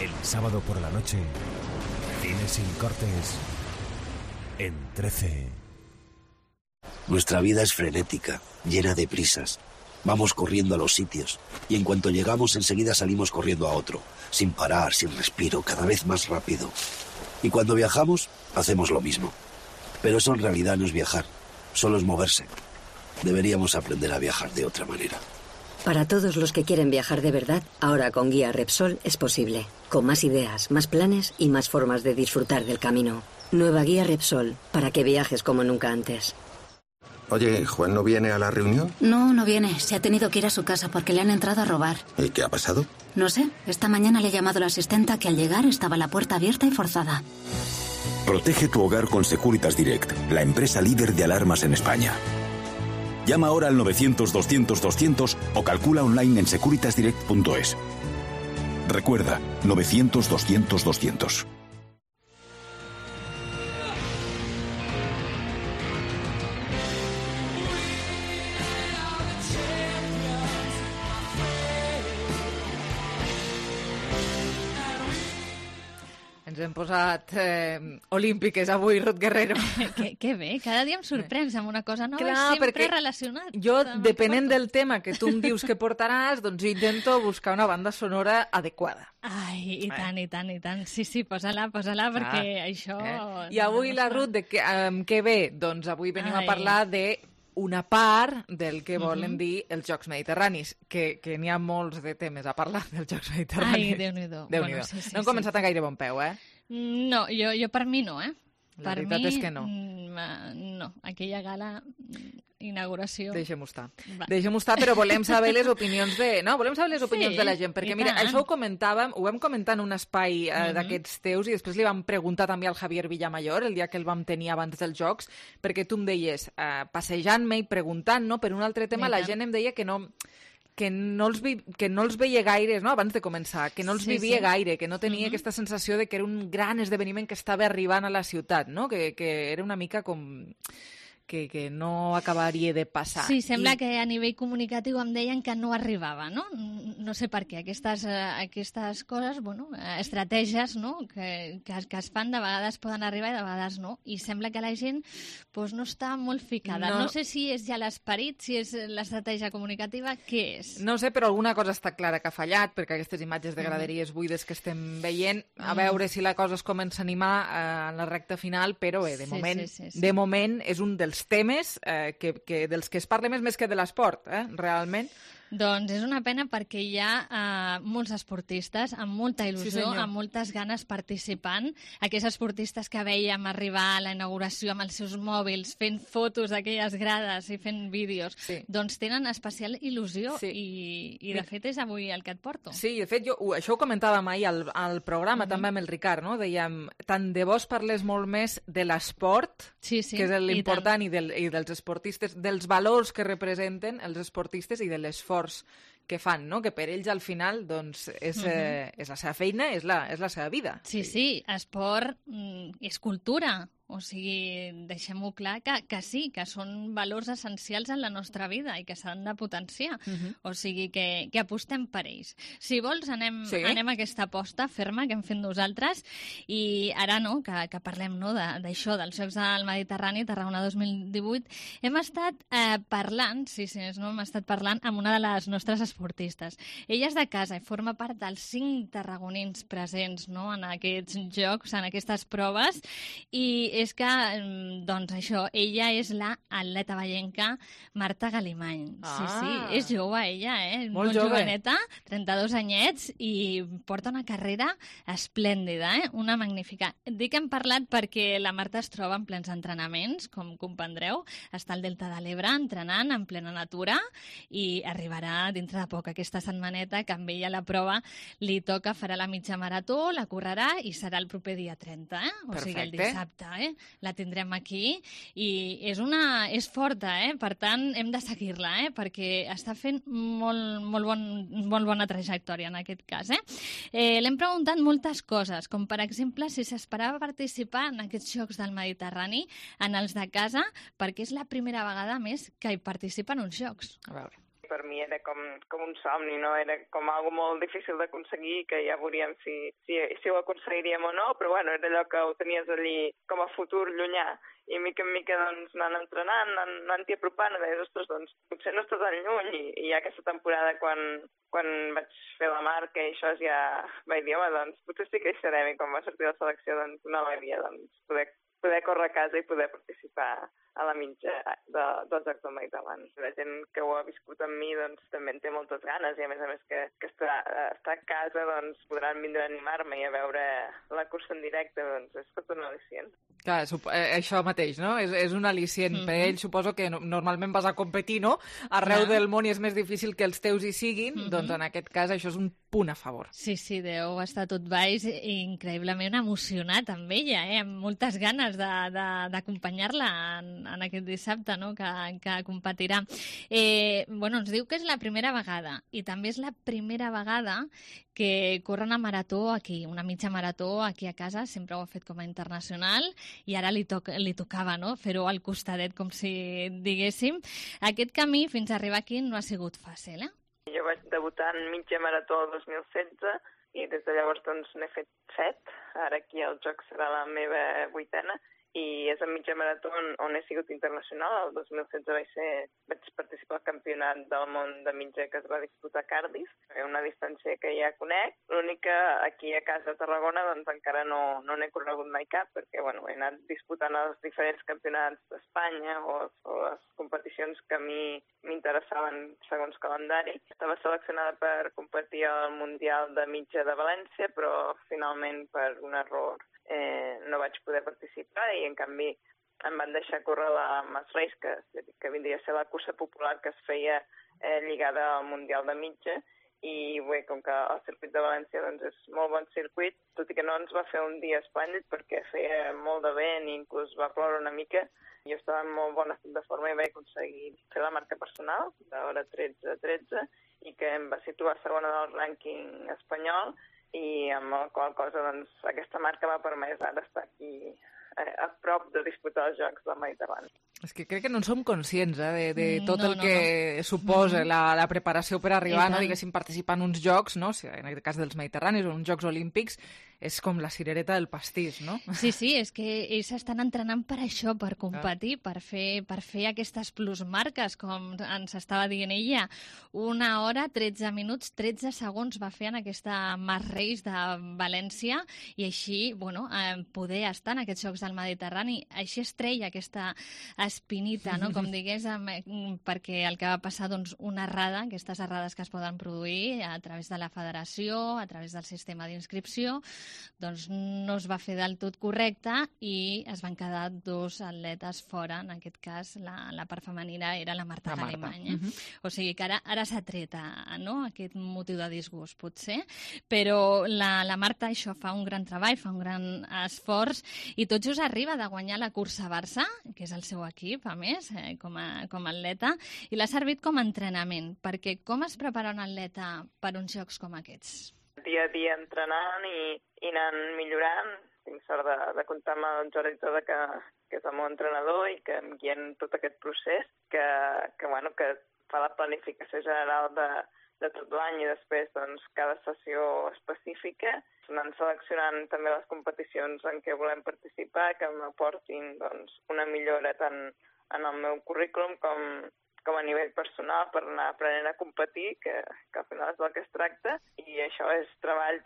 Speaker 18: El sábado por la noche, cine sin cortes en 13.
Speaker 20: Nuestra vida es frenética, llena de prisas. Vamos corriendo a los sitios y en cuanto llegamos enseguida salimos corriendo a otro, sin parar, sin respiro, cada vez más rápido. Y cuando viajamos, hacemos lo mismo. Pero eso en realidad no es viajar, solo es moverse. Deberíamos aprender a viajar de otra manera.
Speaker 21: Para todos los que quieren viajar de verdad, ahora con Guía Repsol es posible. Con más ideas, más planes y más formas de disfrutar del camino. Nueva Guía Repsol, para que viajes como nunca antes.
Speaker 22: Oye, ¿Juan no viene a la reunión?
Speaker 21: No, no viene. Se ha tenido que ir a su casa porque le han entrado a robar.
Speaker 22: ¿Y qué ha pasado?
Speaker 21: No sé. Esta mañana le ha llamado la asistenta que al llegar estaba la puerta abierta y forzada.
Speaker 24: Protege tu hogar con Securitas Direct, la empresa líder de alarmas en España. Llama ahora al 900-200-200 o calcula online en securitasdirect.es. Recuerda, 900-200-200.
Speaker 3: Ens Ens hem posat olímpiques avui, Ruth Guerrero.
Speaker 4: Que bé, cada dia em sorprens amb una cosa nova.
Speaker 3: Clar,
Speaker 4: sempre relacionat.
Speaker 3: Jo, depenent del tema que tu em dius que portaràs, doncs intento buscar una banda sonora adequada.
Speaker 4: Ai, i tant, i tant, i tant. Sí, posa-la, perquè això...
Speaker 3: I avui la Ruth, què ve? Doncs avui venim a parlar de una part del que volen dir els Jocs Mediterranis, que n'hi ha molts de temes a parlar dels Jocs Mediterranis.
Speaker 4: Ai, Déu-n'hi-do.
Speaker 3: Déu-n'hi-do. No hem començat a gaire bon peu, eh?
Speaker 4: No, jo per mi no,
Speaker 3: La veritat és que no.
Speaker 4: No, aquella gala, inauguració...
Speaker 3: Deixem-ho estar, però volem saber les opinions de... No, volem saber les opinions de la gent, perquè mira, això ho vam comentar en un espai d'aquests teus i després li vam preguntar també al Javier Villamayor el dia que el vam tenir abans dels Jocs, perquè tu em deies, passejant-me i preguntant, no? Per un altre tema, la gent em deia que no els veia gaire, no? Abans de començar, que no els vivia gaire, que no tenia aquesta sensació de que era un gran esdeveniment que estava arribant a la ciutat, no? Que era una mica com... que no acabaria de passar.
Speaker 4: Sí, sembla que a nivell comunicatiu em deien que no arribava, no? No sé per què. Aquestes coses, estratègies, no? Que es fan, de vegades poden arribar i de vegades no. I sembla que la gent no està molt ficada. No sé si és ja l'esperit, si és l'estratègia comunicativa, què és?
Speaker 3: No sé, però alguna cosa està clara que ha fallat, perquè aquestes imatges de graderies buides que estem veient, a veure si la cosa es comença a animar en la recta final, però de moment és un dels temes dels que es parla més que de l'esport, realment.
Speaker 4: Doncs és una pena perquè hi ha molts esportistes amb molta il·lusió, amb moltes ganes participant. Aquests esportistes que veiem arribar a la inauguració amb els seus mòbils, fent fotos d'aquelles grades i fent vídeos, doncs tenen especial il·lusió i de fet és avui el que et porto.
Speaker 3: Sí, de fet, això ho comentàvem ahir al programa també amb el Ricard, no? Dèiem, tant de bo es parlés molt més de l'esport, que és l'important, i dels esportistes, dels valors que representen els esportistes i de l'esforç que fan, no? Que per ells al final doncs, és la seva feina, és la seva vida.
Speaker 4: Sí, esport és cultura. O sigui, deixem-ho clar que sí, que són valors essencials en la nostra vida i que s'han de potenciar. O sigui, que apostem per ells. Si vols, anem a aquesta aposta ferma que hem fet nosaltres i ara que parlem d'això, dels Jocs del Mediterrani, Tarragona 2018, hem estat parlant, hem estat parlant amb una de les nostres esportistes. Ella és de casa i forma part dels 5 tarragonins presents en aquests jocs, en aquestes proves, i és que, doncs això, ella és la atleta vallenca Marta Galimany. Sí, és jove ella, molt joveneta, 32 anyets, i porta una carrera esplèndida, una magnífica. Dic que hem parlat perquè la Marta es troba en plens entrenaments, com comprendreu, està al Delta de l'Ebre entrenant en plena natura i arribarà dintre de poc aquesta setmaneta que amb ella la prova li toca, farà la mitja marató, la correrà i serà el proper dia 30, o sigui el dissabte, la tindrem aquí i és forta, per tant hem de seguir-la, perquè està fent molt bona trajectòria en aquest cas. L'hem preguntat moltes coses, com per exemple si s'esperava participar en aquests Jocs del Mediterrani, en els de casa, perquè és la primera vegada més que hi participa en uns Jocs.
Speaker 3: A veure.
Speaker 6: Per mi era com un somni, no? Era com algo molt difícil d'aconseguir, que ja veuríem si ho aconseguiríem o no, però bueno, era allò que ho tenies allí com a futur llunyà. I mica en mica doncs, anant entrenant, anant-hi apropant, i deies, ostres, doncs potser no estàs tan lluny. I ja aquesta temporada, quan vaig fer la marca i això, ja vaig dir, home, doncs potser sí que hi serem. I quan va sortir la selecció, doncs una alegria, doncs, poder córrer a casa i poder participar a la mitja dels Jocs del Mediterrani. La gent que ho ha viscut amb mi doncs, també en té moltes ganes i a més que estar a casa doncs, podran vindre a animar-me i a veure la cursa en directe, doncs és tot un al·licient.
Speaker 3: Clar, això mateix, no? És un al·licient. Per ell suposo que normalment vas a competir, no? Arreu del món i és més difícil que els teus hi siguin, doncs en aquest cas això és un punt a favor.
Speaker 4: Sí, deu estar tot baix i increïblement emocionat amb ella, amb moltes ganes d'acompanyar-la en aquest dissabte, no? que competirà. Ens diu que és la primera vegada i també és la primera vegada que corre una marató aquí, una mitja marató aquí a casa, sempre ho ha fet com a internacional i ara li tocava, no? Fer-ho al costadet, com si diguéssim. Aquest camí fins a arribar aquí no ha sigut fàcil,
Speaker 6: Jo vaig debutar en mitja marató el 2016 i des de llavors doncs n'he fet 7. Ara aquí el joc serà la meva 8a i és a mitja marató on he sigut internacional. El 2016 vaig participar al campionat del món de mitja que es va disputar a Cardiff, una distància que ja conec. L'únic que aquí a casa a Tarragona doncs encara no n'he corregut mai cap, perquè he anat disputant els diferents campionats d'Espanya o les competicions que a mi m'interessaven segons calendari. Estava seleccionada per competir al Mundial de Mitja de València, però finalment per un error no vaig poder participar i en canvi em van deixar córrer la Mass Race, que vindria a ser la cursa popular que es feia lligada al Mundial de Mitja, i bé, com que el circuit de València doncs, és molt bon circuit, tot i que no ens va fer un dia esplèndid perquè feia molt de vent i inclús va ploure una mica, jo estava en molt bon estat de forma i vaig aconseguir fer la marca personal d'hora 13:13 i que em va situar segona del rànquing espanyol, i amb la qual cosa doncs, aquesta marca m'ha permès ara estar aquí a prop de disputar els Jocs del Mediterrani.
Speaker 3: És que crec que no en som conscients de tot el que suposa la preparació per arribar, diguéssim, participar en uns jocs, no? En aquest cas dels Mediterranis o en uns Jocs Olímpics, és com la cirereta del pastís, no?
Speaker 4: Sí, és que ells estan entrenant per això, per competir, per fer aquestes plusmarques, com ens estava dient ella. 1 hora, 13 minuts, 13 segons va fer en aquesta Mass Race de València i així, poder estar en aquests Jocs del Mediterrani. Així es treia aquesta espinita, no? Com digués, perquè el que va passar, doncs, una errada, aquestes errades que es poden produir a través de la federació, a través del sistema d'inscripció, doncs no es va fer del tot correcte i es van quedar 2 atletes fora. En aquest cas, la part femenina era la Marta Galimany. O sigui que ara s'ha tret aquest motiu de disgust, potser, però la Marta això fa un gran treball, fa un gran esforç i tot just arriba de guanyar la cursa Barça, que és el seu equip, a més, com a atleta, i l'ha servit com a entrenament, perquè com es prepara un atleta per uns jocs com aquests?
Speaker 6: Dia a dia entrenant i anant millorant. Tinc sort de comptar amb el Jordi Toda, que és el meu entrenador i que em guia en tot aquest procés, que fa la planificació general de tot l'any i després doncs, cada sessió específica, anant seleccionant també les competicions en què volem participar, que m'aportin doncs, una millora tant en el meu currículum com a nivell personal per anar aprenent a competir, que al final és del que es tracta, i això és treball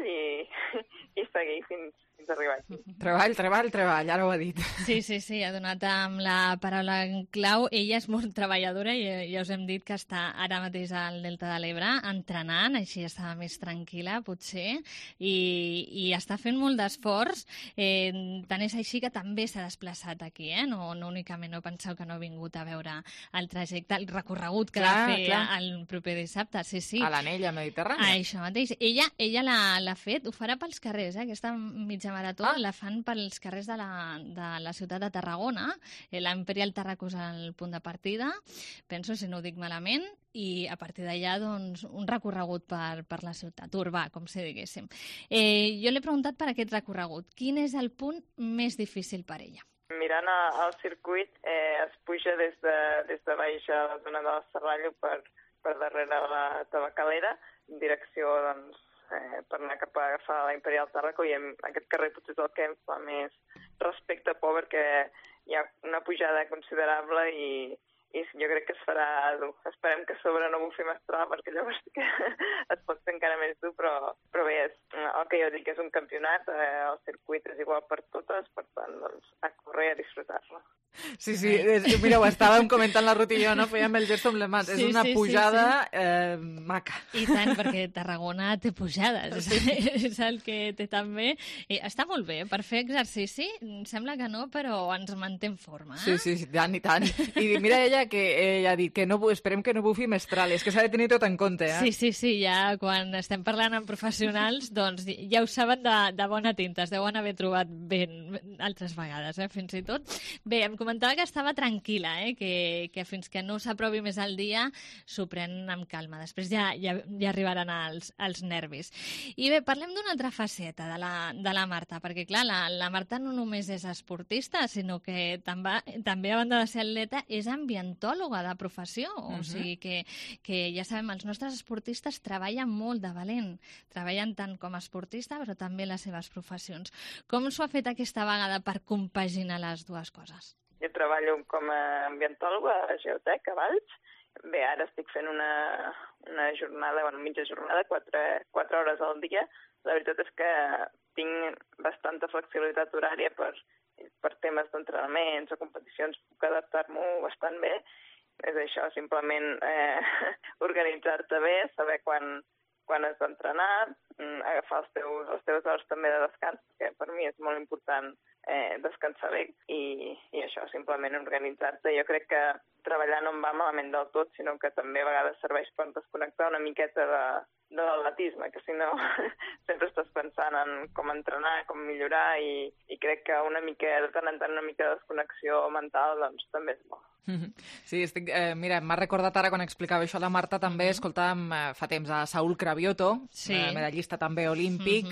Speaker 6: i seguir fins arribar aquí.
Speaker 3: Treball, ara ho ha dit.
Speaker 4: Sí, ha donat amb la paraula en clau. Ella és molt treballadora i ja us hem dit que està ara mateix al Delta de l'Ebre entrenant, així estava més tranquil·la, potser, i està fent molt d'esforç. Tant és així que també s'ha desplaçat aquí, no únicament, no penseu que no ha vingut a veure el trajecte, el recorregut que ha de fer el proper dissabte. Sí.
Speaker 3: A l'anella mediterrània.
Speaker 4: Això mateix. Ella l'ha fet, ho farà pels carrers, aquesta mitja marató la fan pels carrers de la ciutat de Tarragona. L'Imperial Tarraco és el punt de partida, penso, si no ho dic malament, i a partir d'allà doncs, un recorregut per la ciutat, urbà, com si diguéssim. Jo l'he preguntat per aquest recorregut. Quin és el punt més difícil per ella?
Speaker 6: Mirant el circuit, es puja des de baix a la zona del Serrallo per darrere la Tabacalera, en direcció doncs, per anar cap a agafar la Imperial Tarraco, i aquest carrer potser és el que em fa més respecte por, perquè hi ha una pujada considerable i jo crec que es farà dur. Esperem que a sobre no bufi mestral, perquè llavors sí que es pot fer encara més dur, però bé, el que jo dic és un campionat, el circuit és igual per totes, per tant, doncs, a córrer i a disfrutar-lo.
Speaker 3: Sí, mira, ho estàvem comentant la Ruth i jo, no? Fèiem el gest amb les mans. És una pujada maca.
Speaker 4: I tant, perquè Tarragona té pujades. És el que té també. Està molt bé, per fer exercici, sembla que no, però ens manté en forma.
Speaker 3: Sí, tant i tant. I mira ella que ella ha dit que esperem que no bufi mestral, és que s'ha de tenir tot en compte.
Speaker 4: Sí, ja quan estem parlant amb professionals, doncs doncs ja ho saben de bona tinta, es deuen haver trobat ben altres vegades, fins i tot. Bé, em comentava que estava tranquil·la, que fins que no s'aprovi més al dia s'ho pren amb calma. Després ja arribaran els nervis. I bé, parlem d'una altra faceta de la Marta, perquè clar, la Marta no només és esportista, sinó que també, a banda de ser atleta, és ambientòloga de professió. O sigui que ja sabem, els nostres esportistes treballen molt de valent. Treballen tant com a esportista, però també les seves professions. Com s'ho ha fet aquesta vegada per compaginar les dues coses?
Speaker 6: Jo treballo com a ambientòloga a Geotec, a Valls. Bé, ara estic fent una jornada, mitja jornada, 4 hores al dia. La veritat és que tinc bastanta flexibilitat horària per temes d'entrenaments o competicions, puc adaptar-m'ho bastant bé. És això, simplement organitzar-te bé, saber quan has d'entrenar, agafar les teves hores també de descans, que per mi és molt important descansar bé, i això, simplement organitzar-te. Jo crec que treballar no em va malament del tot, sinó que també a vegades serveix per desconnectar una miqueta de l'atletisme, que si no sempre estàs pensant en com entrenar, com millorar, i crec que de tant en tant una mica de desconnexió mental doncs també és bo.
Speaker 3: Sí, mira, m'ha recordat ara quan explicava això la Marta, també escoltàvem fa temps a Saúl Cravioto, medallista també olímpic,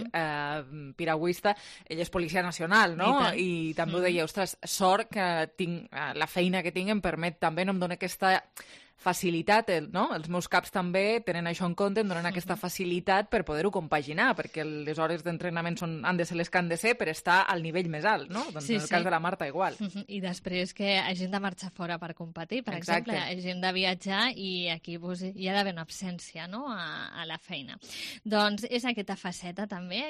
Speaker 3: piragüista. Ell és policia nacional, no? I també ho deia, ostres, sort que tinc la feina que tinc em permet també, no em dona aquesta facilitat, no? Els meus caps també tenen això en compte, em donen aquesta facilitat per poder-ho compaginar, perquè les hores d'entrenament han de ser les que han de ser per estar al nivell més alt, no? Doncs en el cas de la Marta igual.
Speaker 4: I després que hagin de marxar fora per competir, per exemple, hagin de viatjar i aquí hi ha d'haver una absència, no?, a la feina. Doncs és aquesta faceta també,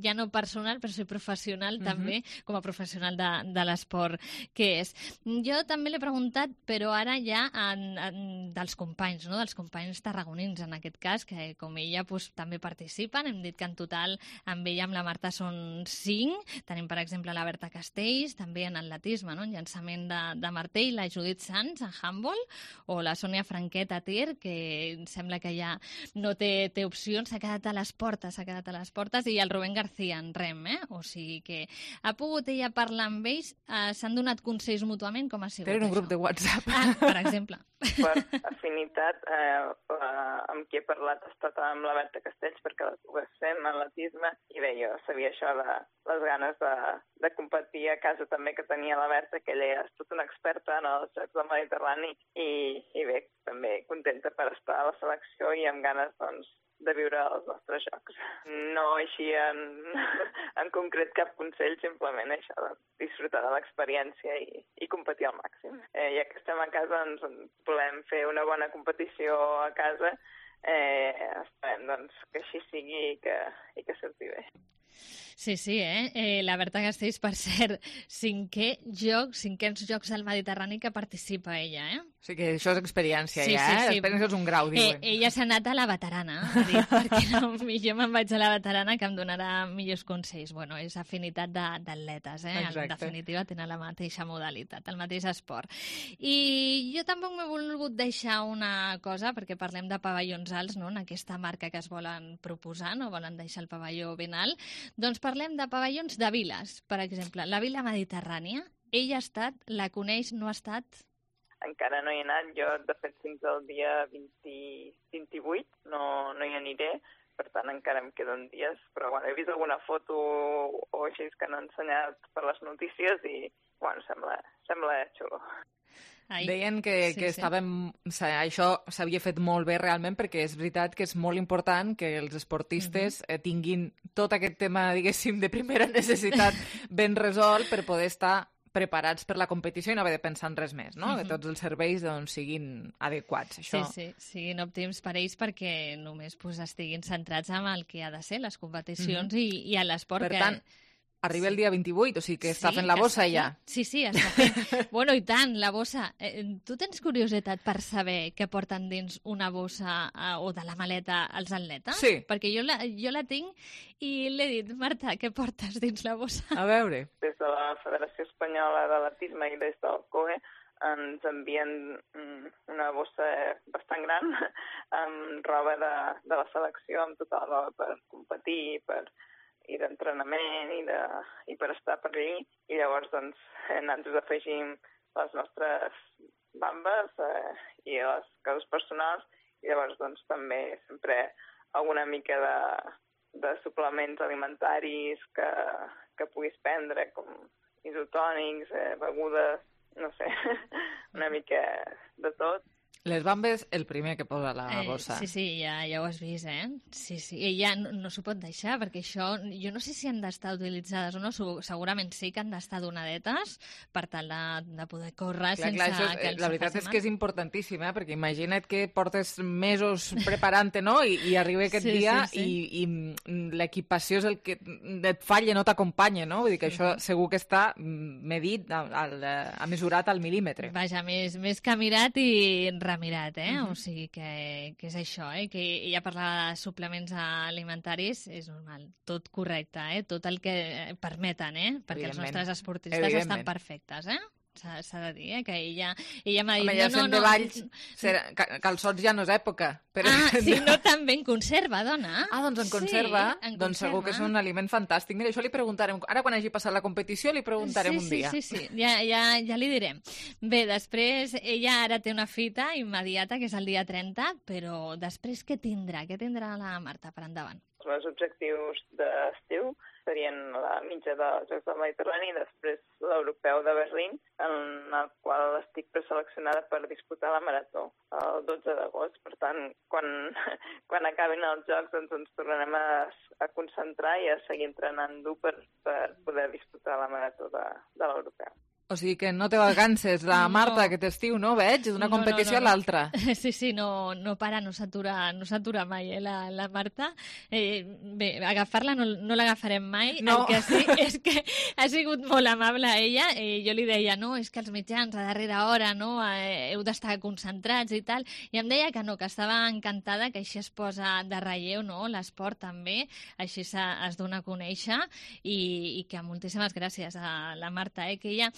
Speaker 4: ja no personal, però sí professional també, com a professional de l'esport que és. Jo també l'he preguntat, però ara ja dels companys, no?, dels companys tarragonins en aquest cas, que com ella també participen. Hem dit que en total amb ella, amb la Marta, són 5. Tenim, per exemple, la Berta Castells, també en atletisme, no?, en llançament de martell, la Judit Sanz en handball, o la Sònia Franquet a tir, que sembla que ja no té opcions, s'ha quedat a les portes, i el Rubén García en rem, o sigui que ha pogut ella parlar amb ells, s'han donat consells mútuament, com ha sigut
Speaker 3: Tenen un grup de WhatsApp.
Speaker 4: Per exemple.
Speaker 6: Per afinitat, amb qui he parlat ha estat amb la Berta Castells, perquè la pogués fer en atletisme, i bé, jo sabia això de les ganes de competir a casa també que tenia la Berta, que ella és tota una experta en els Jocs del Mediterrani, i bé, també contenta per estar a la selecció i amb ganes, doncs, de viure els nostres jocs. No així en concret cap consell, simplement això, de disfrutar de l'experiència i competir al màxim. Ja que estem a casa, ens volem fer una bona competició a casa, esperem doncs, que així sigui i que surti bé.
Speaker 4: Sí, la Berta Castells, per cert, cinquens Jocs del Mediterrani que participa ella,
Speaker 3: O sigui que això és experiència, Experiència és un grau, diuen.
Speaker 4: Ella s'ha anat a la veterana, ha dit, perquè no, jo me'n vaig a la veterana que em donarà millors consells. Bueno, és afinitat d'atletes, En definitiva tenen la mateixa modalitat, el mateix esport. I jo tampoc m'he volgut deixar una cosa, perquè parlem de pavellons alts, no?, en aquesta marca que es volen proposar, no volen deixar el pavelló ben alt. Doncs parlem de pavellons de viles, per exemple. La Vila Mediterrània, ella ha estat, la coneix, no ha estat?
Speaker 6: Encara no hi he anat, jo de fet fins al dia 28 no hi aniré, per tant encara em queden dies, però bueno, he vist alguna foto o així que han ensenyat per les notícies i bueno, sembla xulo.
Speaker 3: Deien que això s'havia fet molt bé realment, perquè és veritat que és molt important que els esportistes tinguin tot aquest tema, diguéssim, de primera necessitat ben resolt per poder estar preparats per la competició i no haver de pensar en res més, no? Que tots els serveis siguin adequats. Això...
Speaker 4: Sí, siguin òptims per ells perquè només estiguin centrats en el que ha de ser, les competicions i a l'esport.
Speaker 3: Per tant, arriba el dia 28, o sigui que està fent la bossa ja.
Speaker 4: Sí, està fent. Bueno, i tant, la bossa. Tu tens curiositat per saber què porten dins una bossa o de la maleta els atletes?
Speaker 3: Sí.
Speaker 4: Perquè jo la tinc i l'he dit, Marta, què portes dins la bossa?
Speaker 3: A veure.
Speaker 6: Des de la Federació Espanyola d'Atletisme i des del COE ens envien una bossa bastant gran amb roba de la selecció, amb tota la roba per competir, i d'entrenament i per estar per allí. I llavors doncs, nosaltres afegim les nostres bambes i les coses personals, i llavors doncs, també sempre alguna mica de suplements alimentaris que puguis prendre, com isotònics, begudes, no sé, una mica de tot.
Speaker 3: Les bambes, el primer que posa la bossa.
Speaker 4: Sí, ja ho has vist, Sí, i ja no s'ho pot deixar, perquè això, jo no sé si han d'estar utilitzades o no, segurament sí que han d'estar donadetes per tal de poder córrer sense que els faci mal.
Speaker 3: La veritat és que és importantíssim, perquè imagina't que portes mesos preparant-te, no?, i arriba aquest dia i l'equipació és el que et falla, no t'acompanya, no? Vull dir que això segur que està medit, mesurat al mil·límetre.
Speaker 4: Vaja, més que mirat i mirat, o sigui que és això, que ja parlava de suplements alimentaris, és normal, tot correcte, tot el que permeten, perquè els nostres esportistes estan perfectes, s'ha de dir, que ella m'ha dit...
Speaker 3: Home, ja sent de Valls, calçots ja no és època.
Speaker 4: Sí, no també en conserva, dona.
Speaker 3: Doncs en conserva, doncs segur que és un aliment fantàstic. Mira, això li preguntarem, ara quan hagi passat la competició li preguntarem un dia.
Speaker 4: Sí, ja li direm. Bé, després, ella ara té una fita immediata, que és el dia 30, però després què tindrà? Què tindrà la Marta per endavant?
Speaker 6: Els meus objectius d'estiu serien la mitja dels Jocs del Mediterrani i després l'Europeu de Berlín, en el qual estic preseleccionada per disputar la marató el 12 d'agost. Per tant, quan acabin els Jocs ens tornarem a concentrar i a seguir entrenant dur per poder disputar la marató de l'Europeu.
Speaker 3: O sigui que no te vacances, la Marta, aquest estiu, no? Veig, d'una competició a l'altra.
Speaker 4: Sí, no para, no s'atura mai, la Marta. Bé, agafar-la no l'agafarem mai.
Speaker 3: No.
Speaker 4: El que sí és que ha sigut molt amable ella. Jo li deia, no, és que els mitjans a darrera hora, no, heu d'estar concentrats i tal. I em deia que no, que estava encantada, que així es posa de relleu, no, l'esport també, així es dona a conèixer i que moltíssimes gràcies a la Marta, que ella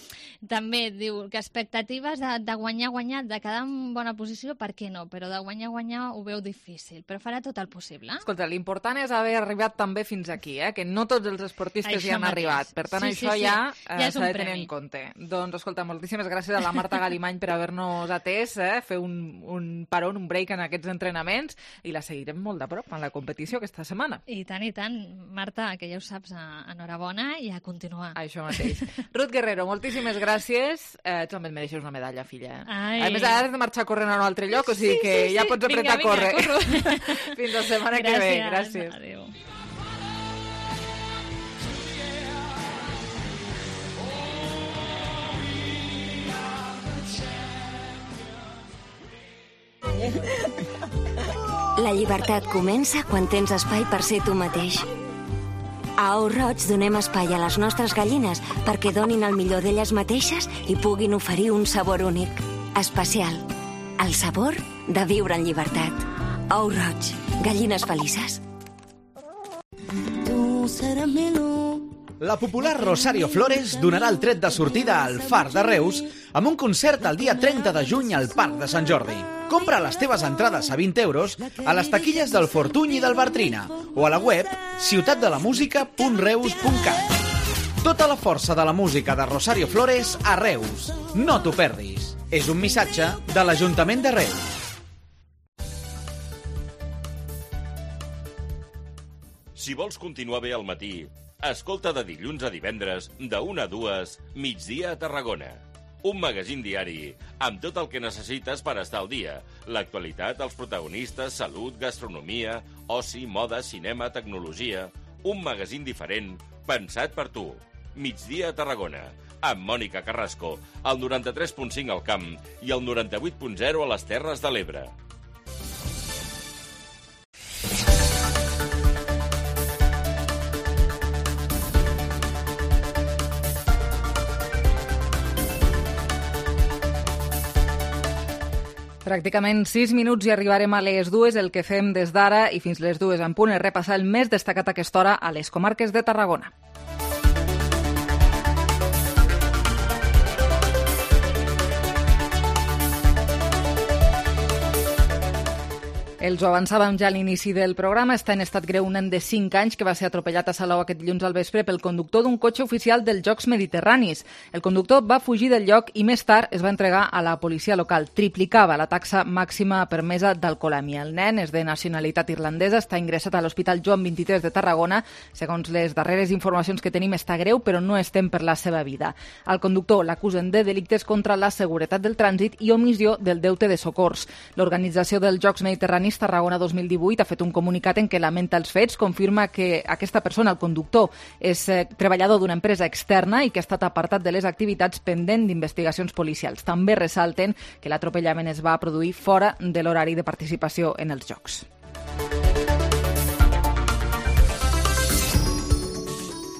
Speaker 4: també diu que expectatives de guanyar, de quedar en bona posició, per què no? Però de guanyar ho veu difícil, però farà tot el possible.
Speaker 3: Escolta, l'important és haver arribat també fins aquí, que no tots els esportistes hi han arribat. Per tant, això ja s'ha de tenir en compte. Doncs, escolta, moltíssimes gràcies a la Marta Galimany per haver-nos atès, fer un parón, un break en aquests entrenaments, i la seguirem molt de prop en la competició aquesta setmana.
Speaker 4: I tant, Marta, que ja ho saps, enhorabona i a continuar.
Speaker 3: Això mateix. Ruth Guerrero, moltíssimes gràcies. Tu també et mereixes una medalla, filla.
Speaker 4: A
Speaker 3: més, ara has de marxar corrent a un altre lloc, o sigui que ja pots apretar a córrer. Fins la setmana que ve. Gràcies.
Speaker 4: Adéu.
Speaker 7: La llibertat comença quan tens espai per ser tu mateix. A Ou Roig donem espai a les nostres gallines perquè donin el millor d'elles mateixes i puguin oferir un sabor únic, especial. El sabor de viure en llibertat. Ou Roig, gallines felices.
Speaker 8: La popular Rosario Flores donarà el tret de sortida al Far de Reus amb un concert el dia 30 de juny al Parc de Sant Jordi. Compra les teves entrades a 20 euros a les taquilles del Fortuny i del Bartrina o a la web ciutatdelamusica.reus.cat. Tota la força de la música de Rosario Flores a Reus. No t'ho perdis. És un missatge de l'Ajuntament de Reus.
Speaker 5: Si vols continuar bé al matí, escolta de dilluns a divendres, de 1 a 2, Migdia a Tarragona. Un magazín diari amb tot el que necessites per estar al dia. L'actualitat, els protagonistes, salut, gastronomia, oci, moda, cinema, tecnologia. Un magazín diferent, pensat per tu. Migdia a Tarragona, amb Mònica Carrasco, al 93.5 al Camp i al 98.0 a les Terres de l'Ebre.
Speaker 3: Pràcticament 6 minuts i arribarem a les 2. El que fem des d'ara i fins les 2 en punt és repassar el més destacat a aquesta hora a les comarques de Tarragona. Els ho avançàvem ja a l'inici del programa. Està en estat greu un nen de 5 anys que va ser atropellat a Salou aquest dilluns al vespre pel conductor d'un cotxe oficial dels Jocs Mediterranis. El conductor va fugir del lloc i més tard es va entregar a la policia local. Triplicava la taxa màxima permesa d'alcoholèmia. El nen és de nacionalitat irlandesa, està ingressat a l'Hospital Joan 23 de Tarragona. Segons les darreres informacions que tenim, està greu, però no estem per la seva vida. Al conductor l'acusen de delictes contra la seguretat del trànsit i omissió del deute de socors. L'organització dels Jocs Mediterranis Tarragona 2018 ha fet un comunicat en què lamenta els fets, confirma que aquesta persona, el conductor, és treballador d'una empresa externa i que ha estat apartat de les activitats pendent d'investigacions policials. També ressalten que l'atropellament es va produir fora de l'horari de participació en els Jocs.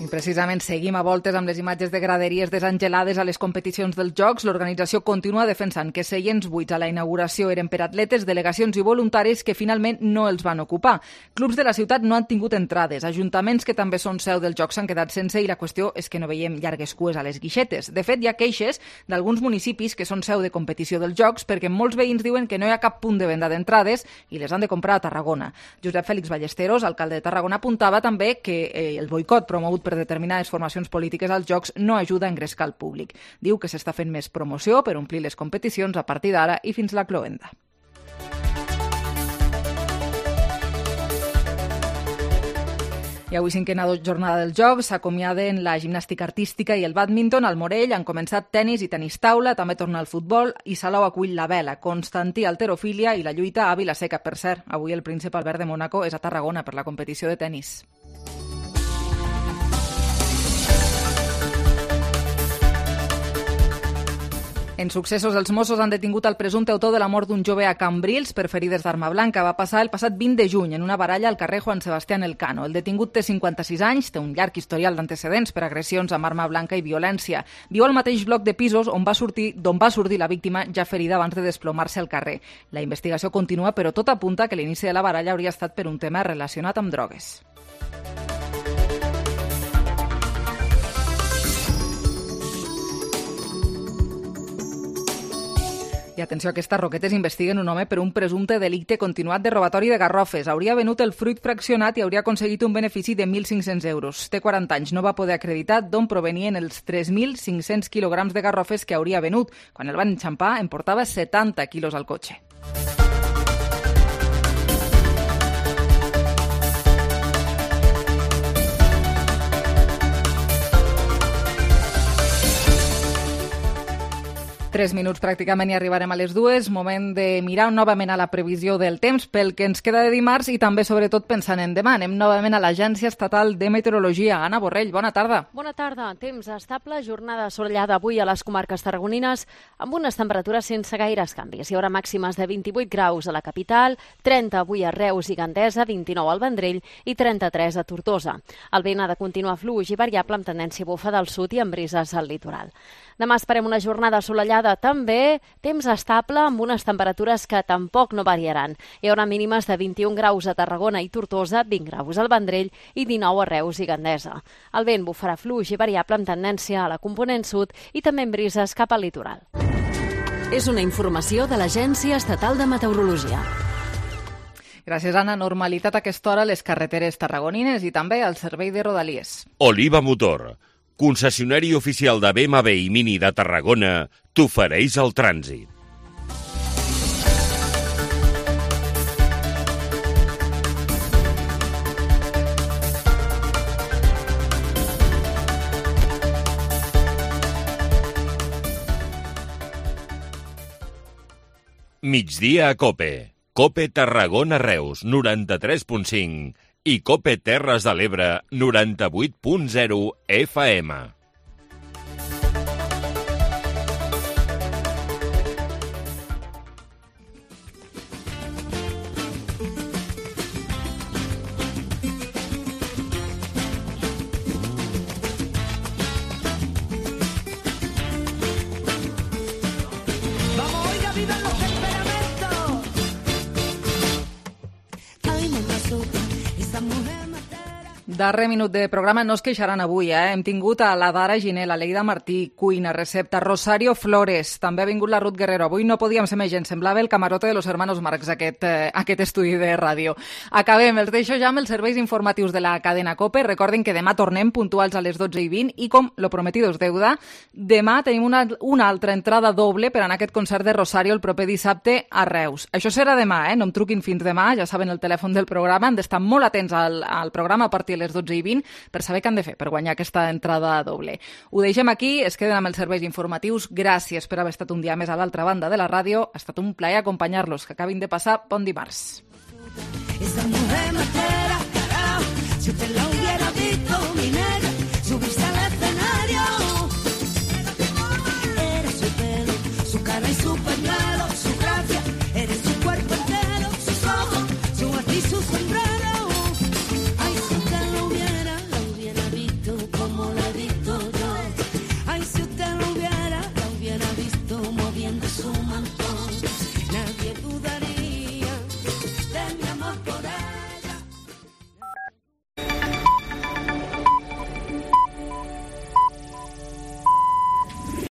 Speaker 3: Precisament seguim a voltes amb les imatges de graderies desangelades a les competicions dels Jocs. L'organització continua defensant que seients buits a la inauguració eren per atletes, delegacions i voluntaris que finalment no els van ocupar. Clubs de la ciutat no han tingut entrades. Ajuntaments que també són seu dels Jocs s'han quedat sense i la qüestió és que no veiem llargues cues a les guixetes. De fet, hi ha queixes d'alguns municipis que són seu de competició dels Jocs perquè molts veïns diuen que no hi ha cap punt de venda d'entrades i les han de comprar a Tarragona. Josep Fèlix Ballesteros, alcalde de Tarragona, apuntava també que el boicot promogut per determinades formacions polítiques als Jocs no ajuda a engrescar el públic. Diu que s'està fent més promoció per omplir les competicions a partir d'ara i fins la cloenda. I avui, cinquena jornada dels Jocs, s'acomiaden la gimnàstica artística i el bàdminton. Al Morell han començat tenis i tenis taula, també torna el futbol i Salou acull la vela, Constantí halterofília i la lluita a Vila-seca. Per cert, avui el príncep Albert de Mònaco és a Tarragona per la competició de tenis. En successos, els Mossos han detingut el presumpte autor de la mort d'un jove a Cambrils per ferides d'arma blanca. Va passar el passat 20 de juny en una baralla al carrer Juan Sebastián Elcano. El detingut té 56 anys, té un llarg historial d'antecedents per agressions amb arma blanca i violència. Viu al mateix bloc de pisos d'on va sortir la víctima ja ferida abans de desplomar-se al carrer. La investigació continua, però tot apunta que l'inici de la baralla hauria estat per un tema relacionat amb drogues. I atenció, aquestes roquetes investiguen un home per un presumpte delicte continuat de robatori de garrofes. Hauria venut el fruit fraccionat i hauria aconseguit un benefici de 1.500 euros. Té 40 anys, no va poder acreditar d'on provenien els 3.500 quilograms de garrofes que hauria venut. Quan el van enxampar, en portava 70 quilos al cotxe. Tres minuts pràcticament i arribarem a les 2. Moment de mirar novament a la previsió del temps pel que ens queda de dimarts i també, sobretot, pensant en demà. Anem novament a l'Agència Estatal de Meteorologia. Anna Borrell, bona tarda.
Speaker 9: Bona tarda. Temps estable, jornada assolellada avui a les comarques tarragonines amb unes temperatures sense gaires canvis. Hi haurà màximes de 28 graus a la capital, 30 avui a Reus i Gandesa, 29 al Vendrell i 33 a Tortosa. El vent ha de continuar fluix i variable amb tendència bufa del sud i amb brises al litoral. Demà esperem una jornada assolellada, també temps estable amb unes temperatures que tampoc no variaran. Hi haurà mínimes de 21 graus a Tarragona i Tortosa, 20 graus al Vendrell i 19 a Reus i Gandesa. El vent bufarà fluix i variable amb tendència a la component sud i també amb brises cap al litoral.
Speaker 12: És una informació de l'Agència Estatal de Meteorologia.
Speaker 3: Gràcies, Anna. Normalitat a aquesta hora a les carreteres tarragonines i també al servei de Rodalies.
Speaker 5: Oliva Motor, concessionari oficial de BMW i Mini de Tarragona, t'ofereix el trànsit. Migdia a COPE. COPE Tarragona Reus, 93.5 i COPE Terres de l'Ebre, 98.0 FM.
Speaker 3: Darrer minut de programa, no es queixaran avui, Hem tingut a la Dara Giné, la Leida Martí, cuina, recepta, Rosario Flores, també ha vingut la Ruth Guerrero. Avui no podíem ser més gent, semblava el camarote de los hermanos Marx, aquest estudi de ràdio. Acabem, els deixo ja amb els serveis informatius de la cadena COPE. Recordin que demà tornem puntuals a les 12:20 i com lo prometido es deuda, demà tenim una altra entrada doble per anar a aquest concert de Rosario el proper dissabte a Reus. Això serà demà, no em truquin fins demà, ja saben el telèfon del programa, han d'estar molt atents al programa a partir de les 12:20 per saber què han de fer per guanyar aquesta entrada doble. Ho deixem aquí, es queden amb els serveis informatius. Gràcies per haver estat un dia més a l'altra banda de la ràdio. Ha estat un plaer acompanyar-los. Que acabin de passar bon dimarts.